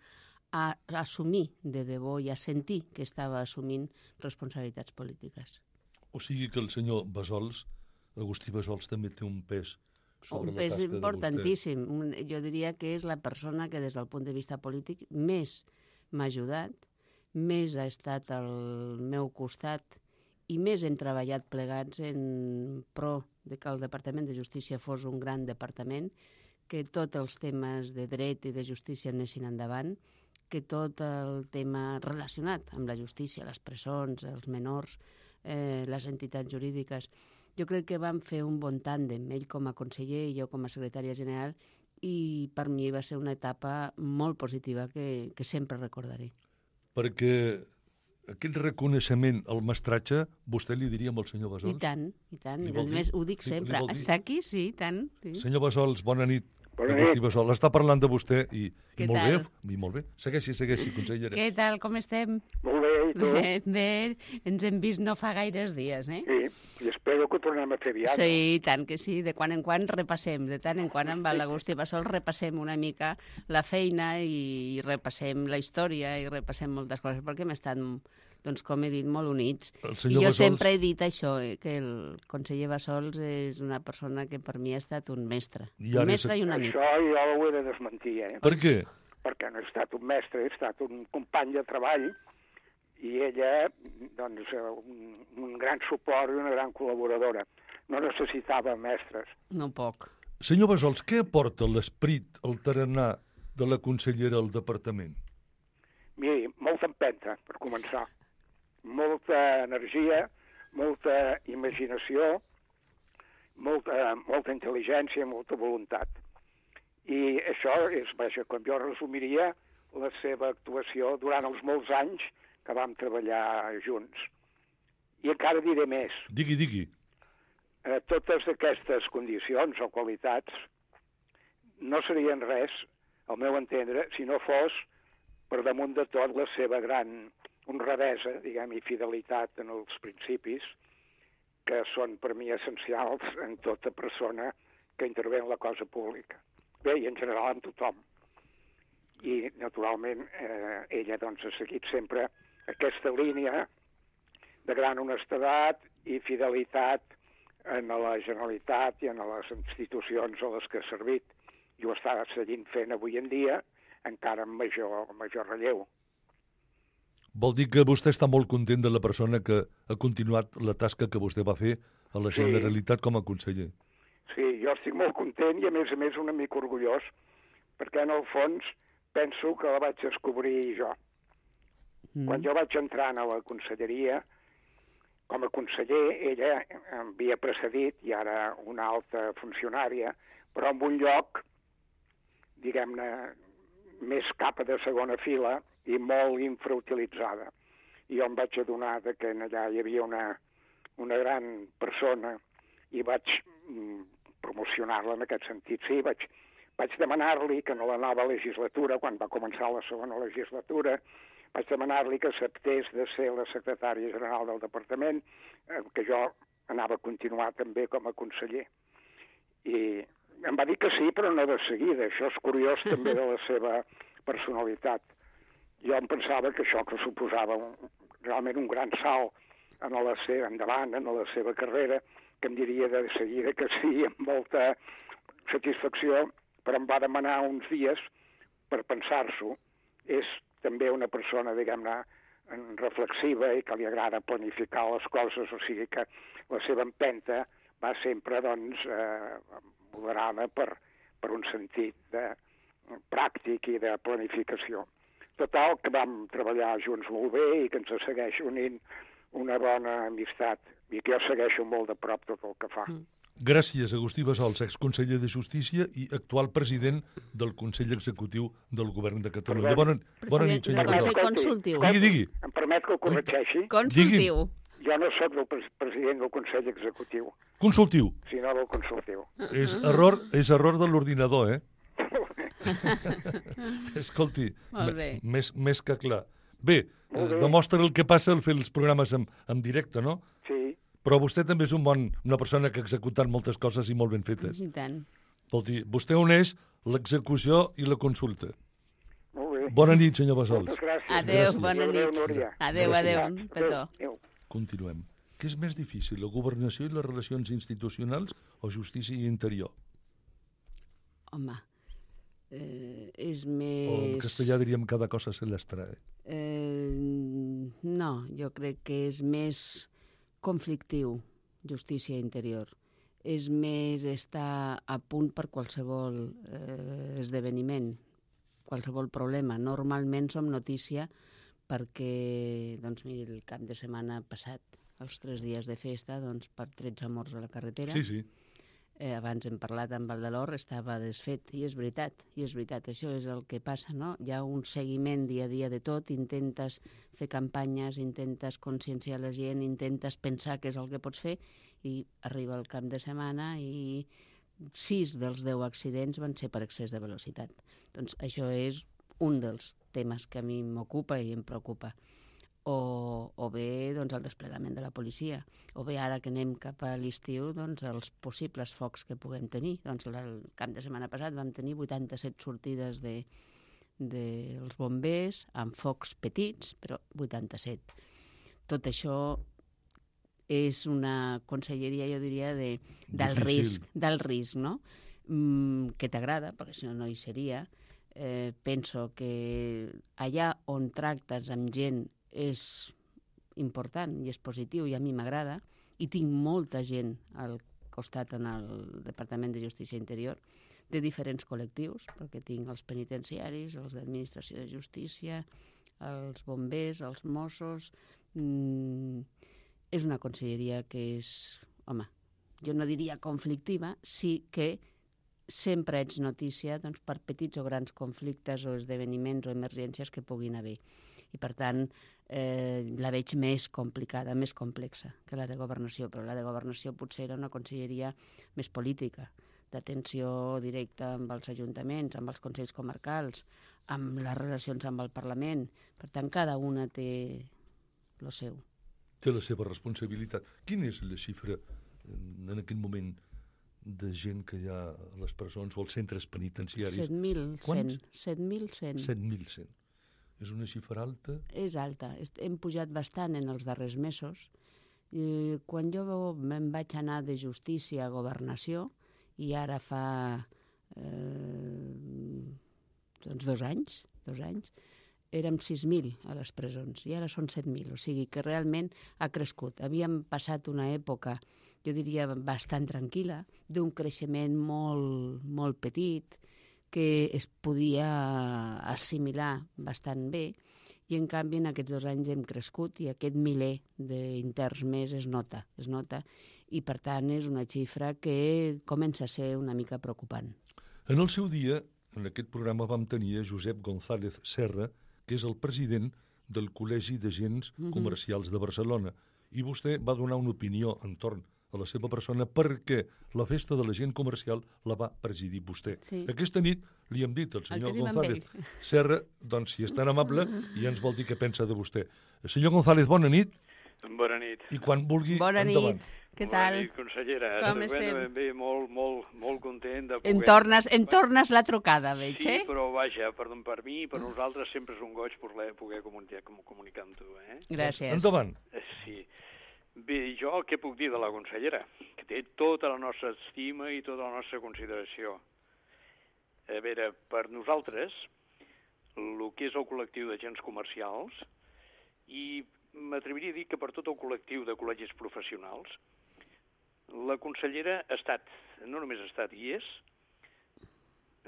a assumir de debò i a sentir que estava assumint responsabilitats polítiques. O sigui que el senyor Bassols, Agustí Bassols, també té un pes sobre un la tasca de vostè. Un pes importantíssim. Jo diria que és la persona que des del punt de vista polític més m'ha ajudat, més ha estat al meu costat i més hem treballat plegats en pro de que el Departament de Justícia fos un gran departament, que tots els temes de dret i de justícia anessin endavant, que tot el tema relacionat amb la justícia, les presons, els menors, eh, les entitats jurídiques, jo crec que vam fer un bon tàndem, ell com a conseller i jo com a secretària general, i per mi va ser una etapa molt positiva que, que sempre recordaré. Perquè aquest reconeixement al mestratge, vostè li diria al senyor Bassols? I tant, i tant. I a més, ho dic li, sempre. Li Està aquí, sí, i tant. Sí. Senyor Bassols, bona nit. Bona Agustí nit. Bassols, està parlant de vostè i, i molt tal? bé, i molt bé. Segueixi, segueixi, consellera. Què tal, com estem? Molt bé, i tu? Bé, bé, ens hem vist no fa gaires dies, eh? Sí, i espero que ho tornem a fer aviat. Sí, i tant que sí, de quan en quan repassem, de tant en quan amb l'Agustí Bassols repassem una mica la feina i repassem la història i repassem moltes coses, perquè hem estat, doncs, com he dit, molt units. I jo Bassols... sempre he dit això, eh, que el conseller Bassols és una persona que per mi ha estat un mestre. Un mestre és... i un amic. Això jo ho he de desmentir, eh? Per què? Perquè no he estat un mestre, he estat un company de treball i ella, doncs, un, un gran suport i una gran col·laboradora. No necessitava mestres. No poc. Senyor Bassols, què aporta l'esperit, el tarannà de la consellera al departament? Miri, molta empenta, per començar. Molta energia, molta imaginació, molta, molta intel·ligència, molta voluntat. I això és, vaja, com jo resumiria la seva actuació durant els molts anys que vam treballar junts. I encara diré més. Digui, digui. Eh, totes aquestes condicions o qualitats no serien res, al meu entendre, si no fos per damunt de tot la seva gran honradesa, diguem, i fidelitat en els principis, que són per mi essencials en tota persona que intervé en la cosa pública. Bé, i en general amb tothom. I, naturalment, eh, ella doncs, ha seguit sempre aquesta línia de gran honestedat i fidelitat en la Generalitat i en les institucions a les que ha servit. I ho està seguint fent avui en dia, encara amb major, major relleu. Vol dir que vostè està molt content de la persona que ha continuat la tasca que vostè va fer a la Generalitat com a conseller. Sí, jo estic molt content i, a més a més, una mica orgullós, perquè, en el fons, penso que la vaig descobrir jo. Mm. Quan jo vaig entrar a la conselleria, com a conseller, ella em havia precedit, i ara una alta funcionària, però en un lloc, diguem-ne, més cap de segona fila i molt infrautilitzada. I jo em vaig adonar que allà hi havia una, una gran persona i vaig mm, promocionar-la en aquest sentit. Sí, vaig, vaig demanar-li que en la nova legislatura, quan va començar la segona legislatura, vaig demanar-li que acceptés de ser la secretària general del departament, eh, que jo anava a continuar també com a conseller. I em va dir que sí, però no de seguida. Això és curiós també de la seva personalitat. Jo em pensava que això que suposava un, realment un gran salt en la seva, endavant, en la seva carrera, que em diria de seguida que sí, amb molta satisfacció, però em va demanar uns dies per pensar-s'ho. És també una persona, diguem-ne, reflexiva i que li agrada planificar les coses, o sigui que la seva empenta va sempre, doncs, eh, moderada per, per un sentit de, pràctic i de planificació. Total, que vam treballar junts molt bé i que ens segueix unint una bona amistat i que jo segueixo molt de prop tot el que fa. Mm. Gràcies, Agustí Bassols, exconseller de Justícia i actual president del Consell Executiu del Govern de Catalunya. Bona, bona nit, senyor Bassols. Bassols. Consultiu. Digui, digui. Em permet que ho corregeixi? Consultiu. Jo no sóc el pres president del Consell Executiu. Consultiu. Sinó del consultiu. És error, és error de l'ordinador, eh? Escolti, més, més que clar. Bé, eh, demostra el que passa al fer els programes en, en directe, no? Sí. Però vostè també és un bon, una persona que ha executat moltes coses i molt ben fetes. I tant. Escolti, vostè uneix l'execució i la consulta. Molt bé. Bona nit, senyor Bassols. Moltes gràcies. Adéu, gràcies. bona Adéu, nit. Núria. Adéu, adéu, adéu. Petó. Adéu. Continuem. Què és més difícil, la governació i les relacions institucionals o justícia i interior? Home, eh, és O més... en castellà diríem cada cosa se les trae. Eh, no, jo crec que és més conflictiu, justícia interior. És més estar a punt per qualsevol eh, esdeveniment, qualsevol problema. Normalment som notícia perquè, doncs, miri, el cap de setmana passat, els tres dies de festa, doncs, per tretze morts a la carretera. Sí, sí. Eh, abans hem parlat amb Valdelor, estava desfet, i és veritat, i és veritat, això és el que passa, no? Hi ha un seguiment dia a dia de tot, intentes fer campanyes, intentes conscienciar la gent, intentes pensar què és el que pots fer, i arriba el cap de setmana i sis dels deu accidents van ser per excés de velocitat. Doncs això és un dels temes que a mi m'ocupa i em preocupa. O, o bé doncs, el desplegament de la policia, o bé ara que anem cap a l'estiu, doncs, els possibles focs que puguem tenir. Doncs, el cap de setmana passat vam tenir vuitanta-set sortides de, dels bombers amb focs petits, però vuitanta-set. Tot això és una conselleria, jo diria, de, del Difícil. risc, del risc, no? Mm, que t'agrada, perquè si no, no hi seria. Eh, penso que allà on tractes amb gent és important i és positiu i a mi m'agrada, i tinc molta gent al costat en el Departament de Justícia Interior de diferents col·lectius, perquè tinc els penitenciaris, els d'administració de justícia, els bombers, els Mossos. Mm, és una conselleria que és, home, jo no diria conflictiva, sí que sempre ets notícia, doncs, per petits o grans conflictes o esdeveniments o emergències que puguin haver. I, per tant, eh, la veig més complicada, més complexa que la de governació, però la de governació potser era una conselleria més política, d'atenció directa amb els ajuntaments, amb els consells comarcals, amb les relacions amb el Parlament. Per tant, cada una té el seu. Té la seva responsabilitat. Quina és la xifra en aquest moment de gent que hi ha a les presons o als centres penitenciaris? set mil cent. set mil cent. set mil cent. És una xifra alta? És alta. Hem pujat bastant en els darrers mesos. I quan jo me'n vaig anar de justícia a governació, i ara fa eh, doncs dos anys, dos anys, érem sis mil a les presons, i ara són set mil. O sigui que realment ha crescut. Havíem passat una època, jo diria, bastant tranquil·la, d'un creixement molt, molt petit, que es podia assimilar bastant bé, i en canvi en aquests dos anys hem crescut i aquest miler d'interns més es nota, es nota, i per tant és una xifra que comença a ser una mica preocupant. En el seu dia, en aquest programa vam tenir a Josep González Serra, que és el president del Col·legi d'Agents mm-hmm. Comercials de Barcelona, i vostè va donar una opinió entorn a la seva persona perquè la festa de la gent comercial la va presidir vostè. Sí. Aquesta nit li hem dit al senyor González Serra, doncs si és tan amable, i ens vol dir què pensa de vostè. Senyor González, bona nit. Bona nit. I quan vulgui, bona endavant. Nit. Què tal? Bona nit, consellera. Com estem? Ben bé, molt, molt, molt content de poder... Em tornes, em tornes la trucada, veig, sí, eh? Sí, però vaja, per, per mi i per nosaltres sempre és un goig poder, poder comunicar, comunicar amb tu, eh? Gràcies. Endavant. Sí. Bé, jo què puc dir de la consellera? Que té tota la nostra estima i tota la nostra consideració. A veure, per nosaltres, el que és el col·lectiu d'agents comercials, i m'atreviria a dir que per tot el col·lectiu de col·legis professionals, la consellera ha estat, no només ha estat i és,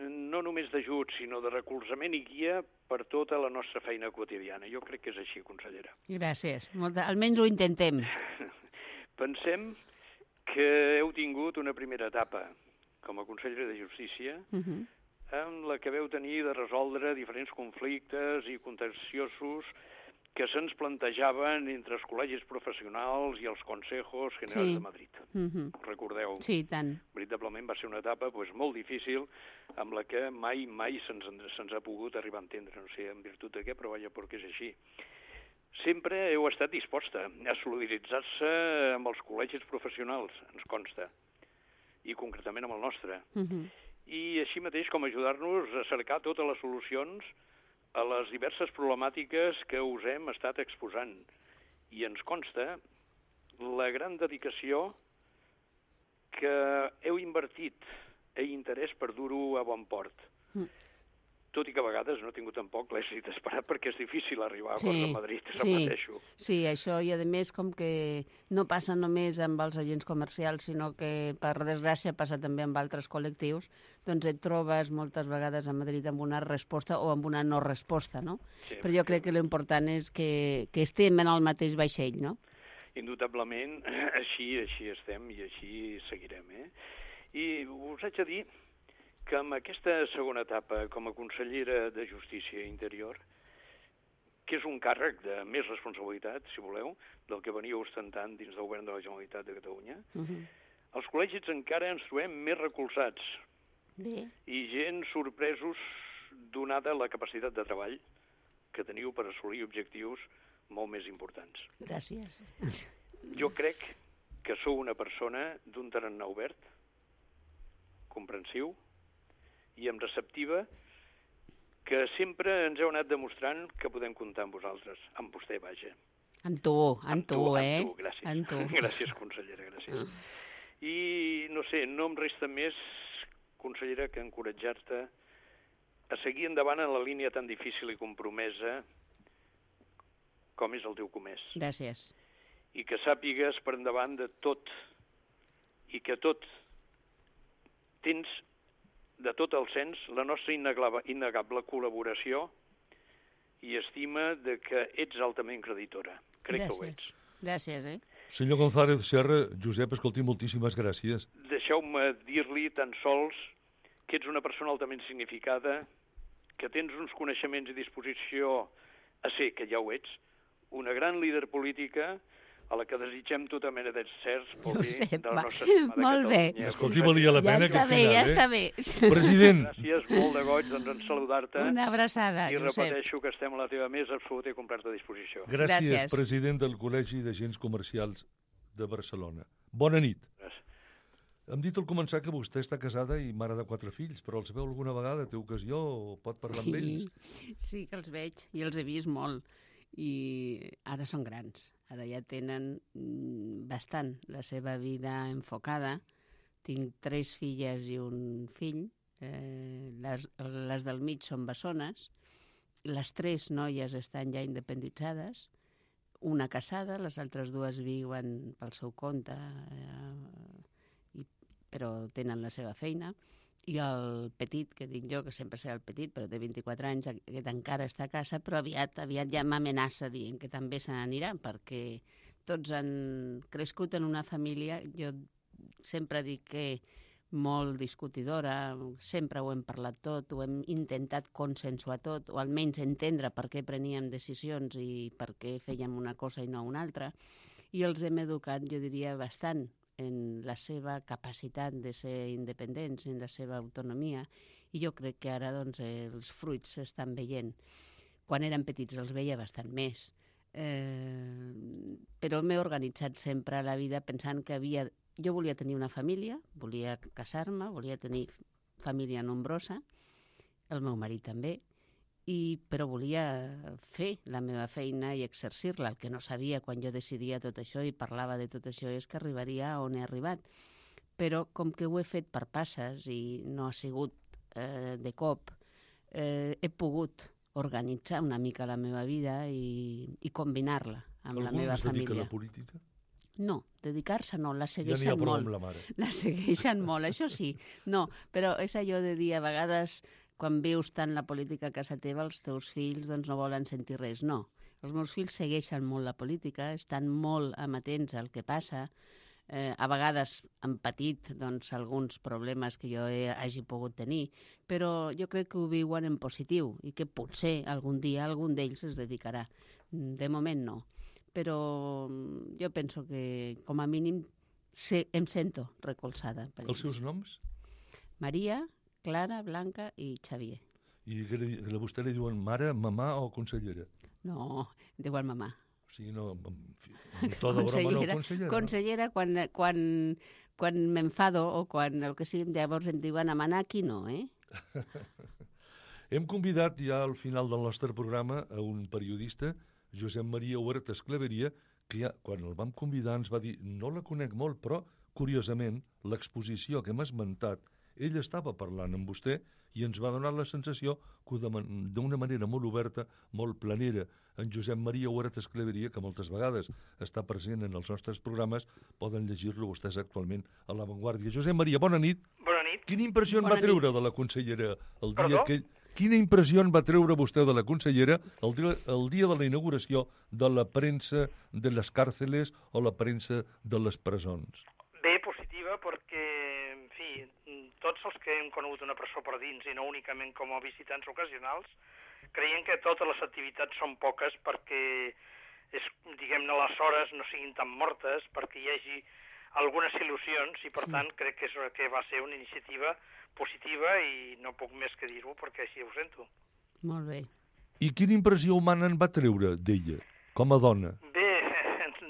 no només d'ajut, sinó de recolzament i guia per tota la nostra feina quotidiana. Jo crec que és així, consellera. Gràcies. Molta... Almenys ho intentem. pensem que heu tingut una primera etapa com a conseller de Justícia uh-huh. en la que veu tenir de resoldre diferents conflictes i contenciosos que se'ns plantejaven entre els col·legis professionals i els consejos generals sí. de Madrid. Uh-huh. Recordeu? Sí, tant. Veritablement va ser una etapa pues, molt difícil amb la que mai, mai se'ns se ha pogut arribar a entendre. No sé en virtut de què, però vaja, perquè és així. Sempre heu estat disposta a solidaritzar-se amb els col·legis professionals, ens consta, i concretament amb el nostre. Uh-huh. I així mateix com ajudar-nos a cercar totes les solucions a les diverses problemàtiques que us hem estat exposant. I ens consta la gran dedicació que heu invertit i interès per dur-ho a bon port. Mm. Tot i que a vegades no he tingut tampoc l'èxit esperat perquè és difícil arribar a sí, acords a Madrid, repeteixo. Sí, sí, això, i a més com que no passa només amb els agents comercials, sinó que per desgràcia passa també amb altres col·lectius, doncs et trobes moltes vegades a Madrid amb una resposta o amb una no resposta, no? Sí, però jo crec que l'important és que, que estem en el mateix vaixell, no? Indubtablement, així, així estem i així seguirem, eh? I us haig de dir que amb aquesta segona etapa com a consellera de Justícia i Interior, que és un càrrec de més responsabilitat, si voleu, del que venia ostentant dins del govern de la Generalitat de Catalunya, uh-huh. els col·legis encara ens trobem més recolzats Bé. i gent sorpresos donada la capacitat de treball que teniu per assolir objectius molt més importants. Gràcies. Jo crec que sou una persona d'un tarannà obert, comprensiu, i amb receptiva, que sempre ens heu anat demostrant que podem comptar amb vosaltres, amb vostè, vaja. Amb tu, amb, amb tu, tu, eh? Amb tu, gràcies. Amb tu. Gràcies, consellera, gràcies. Uh. I, no sé, no em resta més, consellera, que encoratjar-te a seguir endavant en la línia tan difícil i compromesa com és el teu comès. Gràcies. I que sàpigues per endavant de tot, i que tot tens de tot el sens la nostra innegable col·laboració i estima de que ets altament creditora. Crec gràcies. Que ho ets. Gràcies, eh? Senyor González Serra, Josep, escolti, moltíssimes gràcies. Deixeu-me dir-li tan sols que ets una persona altament significada, que tens uns coneixements i disposició a ser, que ja ho ets, una gran líder política a la que desitgem tota mena d'encerts pel bé de la nostra estimada molt Catalunya. Bé. Escolti, valia la pena ja que al bé, final, ja eh? està bé. President. Gràcies, molt de goig, doncs, en saludar-te. Una abraçada, I Josep. repeteixo que estem a la teva més absoluta i completa disposició. Gràcies, Gràcies, president del Col·legi d'Agents Comercials de Barcelona. Bona nit. Gràcies. Hem dit al començar que vostè està casada i mare de quatre fills, però els veu alguna vegada? Té ocasió o pot parlar amb ells? Sí, que els veig i els he vist molt. I ara són grans. Ara ja tenen bastant la seva vida enfocada. Tinc tres filles i un fill. Eh, les, les del mig són bessones. Les tres noies estan ja independitzades. Una casada, les altres dues viuen pel seu compte, eh, i, però tenen la seva feina. I el petit, que dic jo, que sempre serà el petit, però té vint-i-quatre anys, aquest encara està a casa, però aviat, aviat ja m'amenaça dient que també se n'anirà, perquè tots han crescut en una família, jo sempre dic que molt discutidora, sempre ho hem parlat tot, ho hem intentat consensuar tot, o almenys entendre per què preníem decisions i per què fèiem una cosa i no una altra, i els hem educat, jo diria, bastant en la seva capacitat de ser independents, en la seva autonomia, i jo crec que ara doncs, els fruits s'estan veient. Quan eren petits els veia bastant més, eh, però m'he organitzat sempre a la vida pensant que havia... Jo volia tenir una família, volia casar-me, volia tenir família nombrosa, el meu marit també, i, però volia fer la meva feina i exercir-la. El que no sabia quan jo decidia tot això i parlava de tot això és que arribaria on he arribat. Però com que ho he fet per passes i no ha sigut eh, de cop, eh, he pogut organitzar una mica la meva vida i, i combinar-la amb la meva família. Algú es dedica a la política? No, dedicar-se no, la segueixen ja n'hi ha prou molt. amb la mare. La segueixen molt, això sí. No, però és allò de dir a vegades... Quan vius tant la política a casa teva, els teus fills doncs, no volen sentir res. No, Els meus fills segueixen molt la política, estan molt amatents al que passa. Eh, a vegades han patit doncs, alguns problemes que jo he, hagi pogut tenir, però jo crec que ho viuen en positiu i que potser algun dia algun d'ells es dedicarà. De moment no, però jo penso que com a mínim se, em sento recolzada. Per Els seus noms? Maria, Clara, Blanca i Xavier. I que, li, que a vostè li diuen mare, mamà o consellera? No, diuen mamà. O sigui, no, en fi, en to de broma no, consellera. Consellera, quan, quan, quan m'enfado o quan el que sigui, llavors em diuen a manar, aquí no, eh? Hem convidat ja al final del nostre programa a un periodista, Josep Maria Huertas Claveria, que ja, quan el vam convidar ens va dir, no la conec molt, però, curiosament, l'exposició que hem esmentat, ell estava parlant amb vostè i ens va donar la sensació que d'una manera molt oberta, molt planera, en Josep Maria Huertas Claveria, que moltes vegades està present en els nostres programes, poden llegir-lo vostès actualment a La Vanguardia. Josep Maria, bona nit. Bona nit. Quina impressió en bona va treure nit. de la consellera el dia Perdó? que... Quina impressió en va treure vostè de la consellera el dia, el dia de la inauguració de la premsa de les càrceles o la premsa de les presons? Bé, positiva, perquè, en fi, tots els que hem conegut una presó per dins, i no únicament com a visitants ocasionals, creiem que totes les activitats són poques perquè, és, diguem-ne, les hores no siguin tan mortes, perquè hi hagi algunes il·lusions, i per sí. tant crec que, és, que va ser una iniciativa positiva i no puc més que dir-ho perquè així ho sento. Molt bé. I quina impressió humana en va treure d'ella, com a dona? Bé,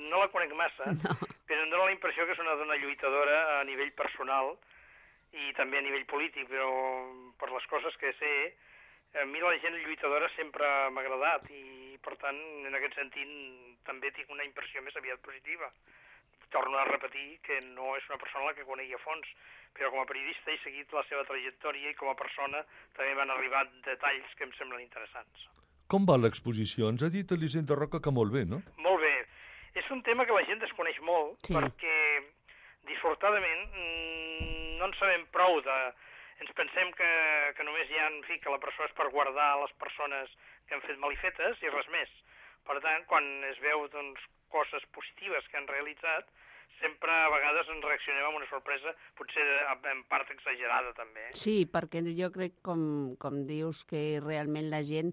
no la conec massa, no. però em dóna la impressió que és una dona lluitadora a nivell personal i també a nivell polític, però per les coses que sé, a mi la gent lluitadora sempre m'ha agradat i, per tant, en aquest sentit, també tinc una impressió més aviat positiva. Torno a repetir que no és una persona a la que conegui a fons, però com a periodista he seguit la seva trajectòria i com a persona també m'han arribat detalls que em semblen interessants. Com va l'exposició? Ens ha dit Elisenda Roca que molt bé, no? Molt bé. És un tema que la gent desconeix molt, sí. perquè, dissortadament, no en sabem prou de... Ens pensem que, que només hi ha, en fi, que la presó és per guardar les persones que han fet malifetes i res més. Per tant, quan es veu, doncs, coses positives que han realitzat, sempre a vegades en reaccionem amb una sorpresa, potser en part exagerada també. Sí, perquè jo crec, com, com dius, que realment la gent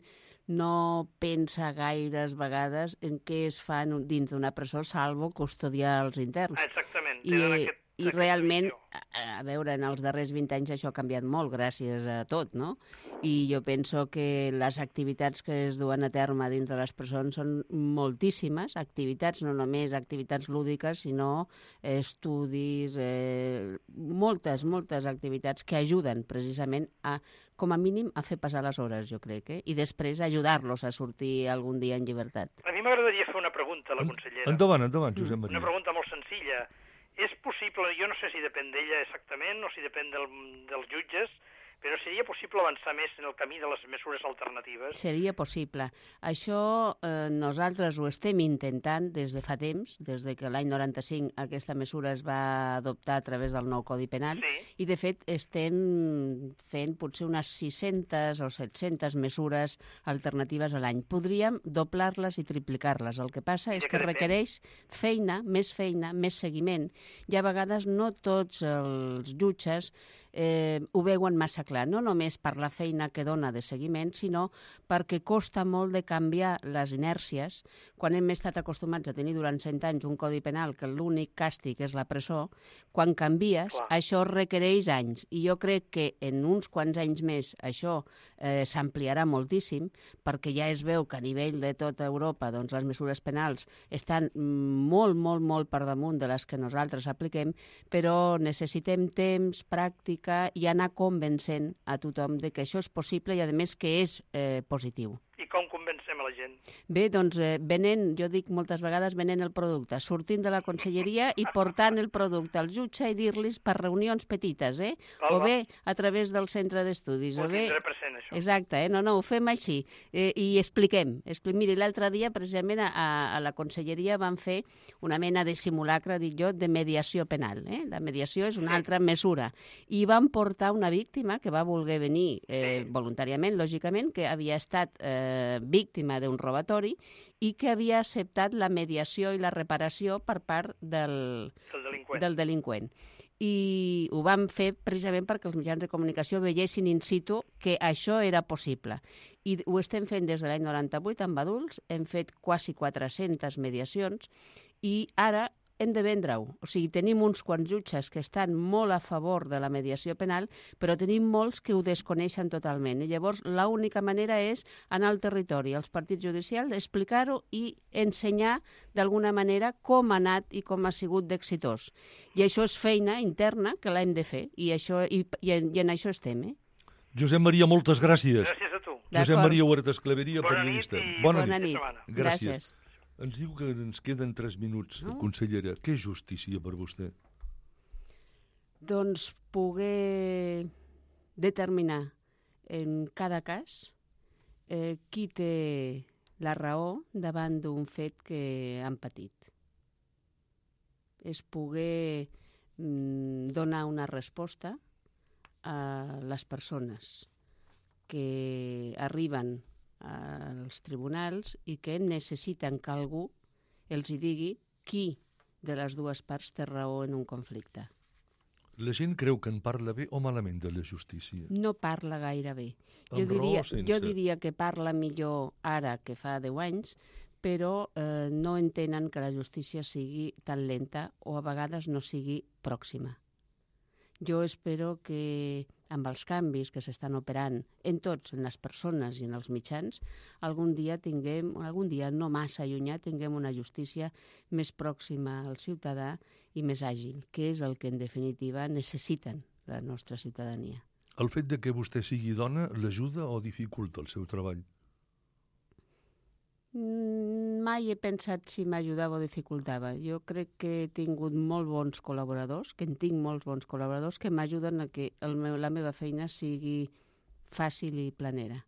no pensa gaires vegades en què es fa dins d'una presó, salvo custodiar els interns. Exactament. I, aquest, i realment, a, a veure, en els darrers vint anys això ha canviat molt gràcies a tot, no? I jo penso que les activitats que es duen a terme dins de les presons són moltíssimes activitats, no només activitats lúdiques, sinó estudis, eh, moltes, moltes activitats que ajuden precisament a, com a mínim, a fer passar les hores, jo crec, eh? I després ajudar-los a sortir algun dia en llibertat. A mi m'agradaria fer una pregunta a la consellera. Endavant, endavant, Josep Maria. Una pregunta molt senzilla. És possible, jo no sé si depèn d'ella exactament o si depèn del, dels jutges, però seria possible avançar més en el camí de les mesures alternatives? Seria possible. Això eh, nosaltres ho estem intentant des de fa temps, des de que l'any noranta-cinc aquesta mesura es va adoptar a través del nou Codi Penal, sí. I de fet estem fent potser unes sis-centes o set-centes mesures alternatives a l'any. Podríem doblar-les i triplicar-les. El que passa és que requereix feina, més feina, més seguiment. I a vegades no tots els jutges eh, ho veuen massa clar, no només per la feina que dona de seguiment, sinó perquè costa molt de canviar les inèrcies. Quan hem estat acostumats a tenir durant cent anys un codi penal que l'únic càstig és la presó, quan canvies, clar, això requereix anys. I jo crec que en uns quants anys més això eh, s'ampliarà moltíssim, perquè ja es veu que a nivell de tota Europa doncs, les mesures penals estan molt, molt, molt per damunt de les que nosaltres apliquem, però necessitem temps, pràctica i anar convencent a tothom de que això és possible i, a més, que és eh, positiu. I com convencem a la gent? Bé, doncs, eh, venent, jo dic moltes vegades, venent el producte, sortint de la conselleria i portant el producte al jutge i dir-los per reunions petites, eh? Val, o bé a través del centre d'estudis. Ho o bé... tindré present, això. Exacte, eh? no, no, ho fem així. Eh, I expliquem. Expli... Miri, l'altre dia, precisament, a, a la conselleria van fer una mena de simulacre, dic jo, de mediació penal. Eh? La mediació és una sí. altra mesura. I van portar una víctima que va voler venir eh, sí. voluntàriament, lògicament, que havia estat... Eh, eh, víctima d'un robatori i que havia acceptat la mediació i la reparació per part del, del delinqüent. del delinqüent. I ho vam fer precisament perquè els mitjans de comunicació veiessin in situ que això era possible. I ho estem fent des de l'any noranta-vuit amb adults, hem fet quasi quatre-centes mediacions i ara hem de vendre-ho. O sigui, tenim uns quants jutges que estan molt a favor de la mediació penal, però tenim molts que ho desconeixen totalment. I llavors, l'única manera és anar al territori, als partits judicials, explicar-ho i ensenyar d'alguna manera com ha anat i com ha sigut d'exitós. I això és feina interna que l'hem de fer, i, això, i, i, en, i en això estem. Eh? Josep Maria, moltes gràcies. Gràcies a tu. Josep Maria Huertas Claveria, Bona periodista. nit i Bona, Bona nit. nit. Gràcies. Gràcies. Ens diu que ens queden tres minuts, no? Consellera. Què és justícia per vostè? Doncs poder determinar en cada cas eh, qui té la raó davant d'un fet que han patit. És poder mm, donar una resposta a les persones que arriben als tribunals i que necessiten que algú els hi digui qui de les dues parts té raó en un conflicte. La gent creu que en parla bé o malament de la justícia? No parla gaire bé. Jo Amb raó diria, o sense? jo diria que parla millor ara que fa deu anys, però eh, no entenen que la justícia sigui tan lenta o a vegades no sigui pròxima. Jo espero que amb els canvis que s'estan operant en tots, en les persones i en els mitjans, algun dia tinguem, algun dia no massa allunyat, tinguem una justícia més pròxima al ciutadà i més àgil, que és el que en definitiva necessiten la nostra ciutadania. El fet de que vostè sigui dona l'ajuda o dificulta el seu treball? Mai he pensat si m'ajudava o dificultava. Jo crec que he tingut molt bons col·laboradors, que en tinc molts bons col·laboradors que m'ajuden a que el meu, la meva feina sigui fàcil i planera.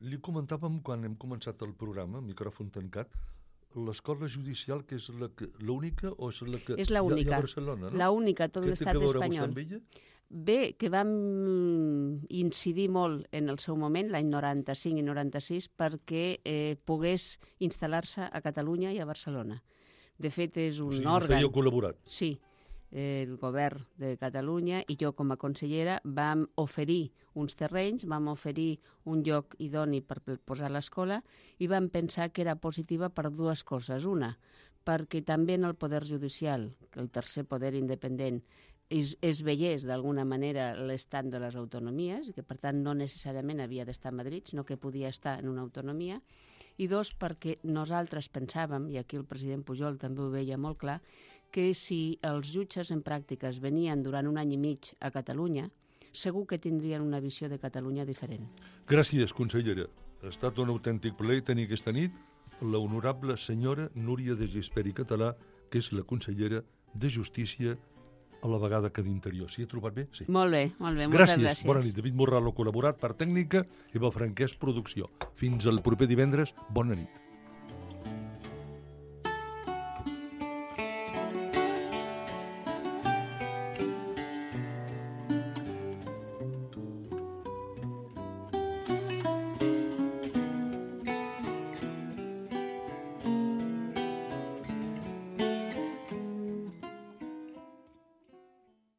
Li comentàvem quan hem començat el programa, micròfon tancat, l'escola judicial, que és l'única o és la que és hi ha a l'única, Barcelona, no? l'única, tot l'estat espanyol. Què té que veure vostè amb ella? Bé, que vam incidir molt en el seu moment, l'any noranta-cinc i noranta-sis, perquè eh, pogués instal·lar-se a Catalunya i a Barcelona. De fet, és un o sigui, òrgan... vostè hi ha col·laborat. Sí, eh, el govern de Catalunya i jo com a consellera vam oferir uns terrenys, vam oferir un lloc idoni per posar l'escola i vam pensar que era positiva per dues coses. Una, perquè també en el poder judicial, el tercer poder independent, es, es veiés d'alguna manera l'estat de les autonomies, que per tant no necessàriament havia d'estar a Madrid, sinó que podia estar en una autonomia, i dos, perquè nosaltres pensàvem, i aquí el president Pujol també ho veia molt clar, que si els jutges en pràctiques venien durant un any i mig a Catalunya, segur que tindrien una visió de Catalunya diferent. Gràcies, consellera. Ha estat un autèntic plaer tenir aquesta nit la honorable senyora Núria de Gispert i Català, que és la consellera de Justícia a la vegada que d'Interior. S'hi ha trobat bé? Sí. Molt bé, molt bé, moltes gràcies. gràcies. Bona nit. David Morral ha col·laborat per tècnica, Eva Franquès, producció. Fins al proper divendres. Bona nit.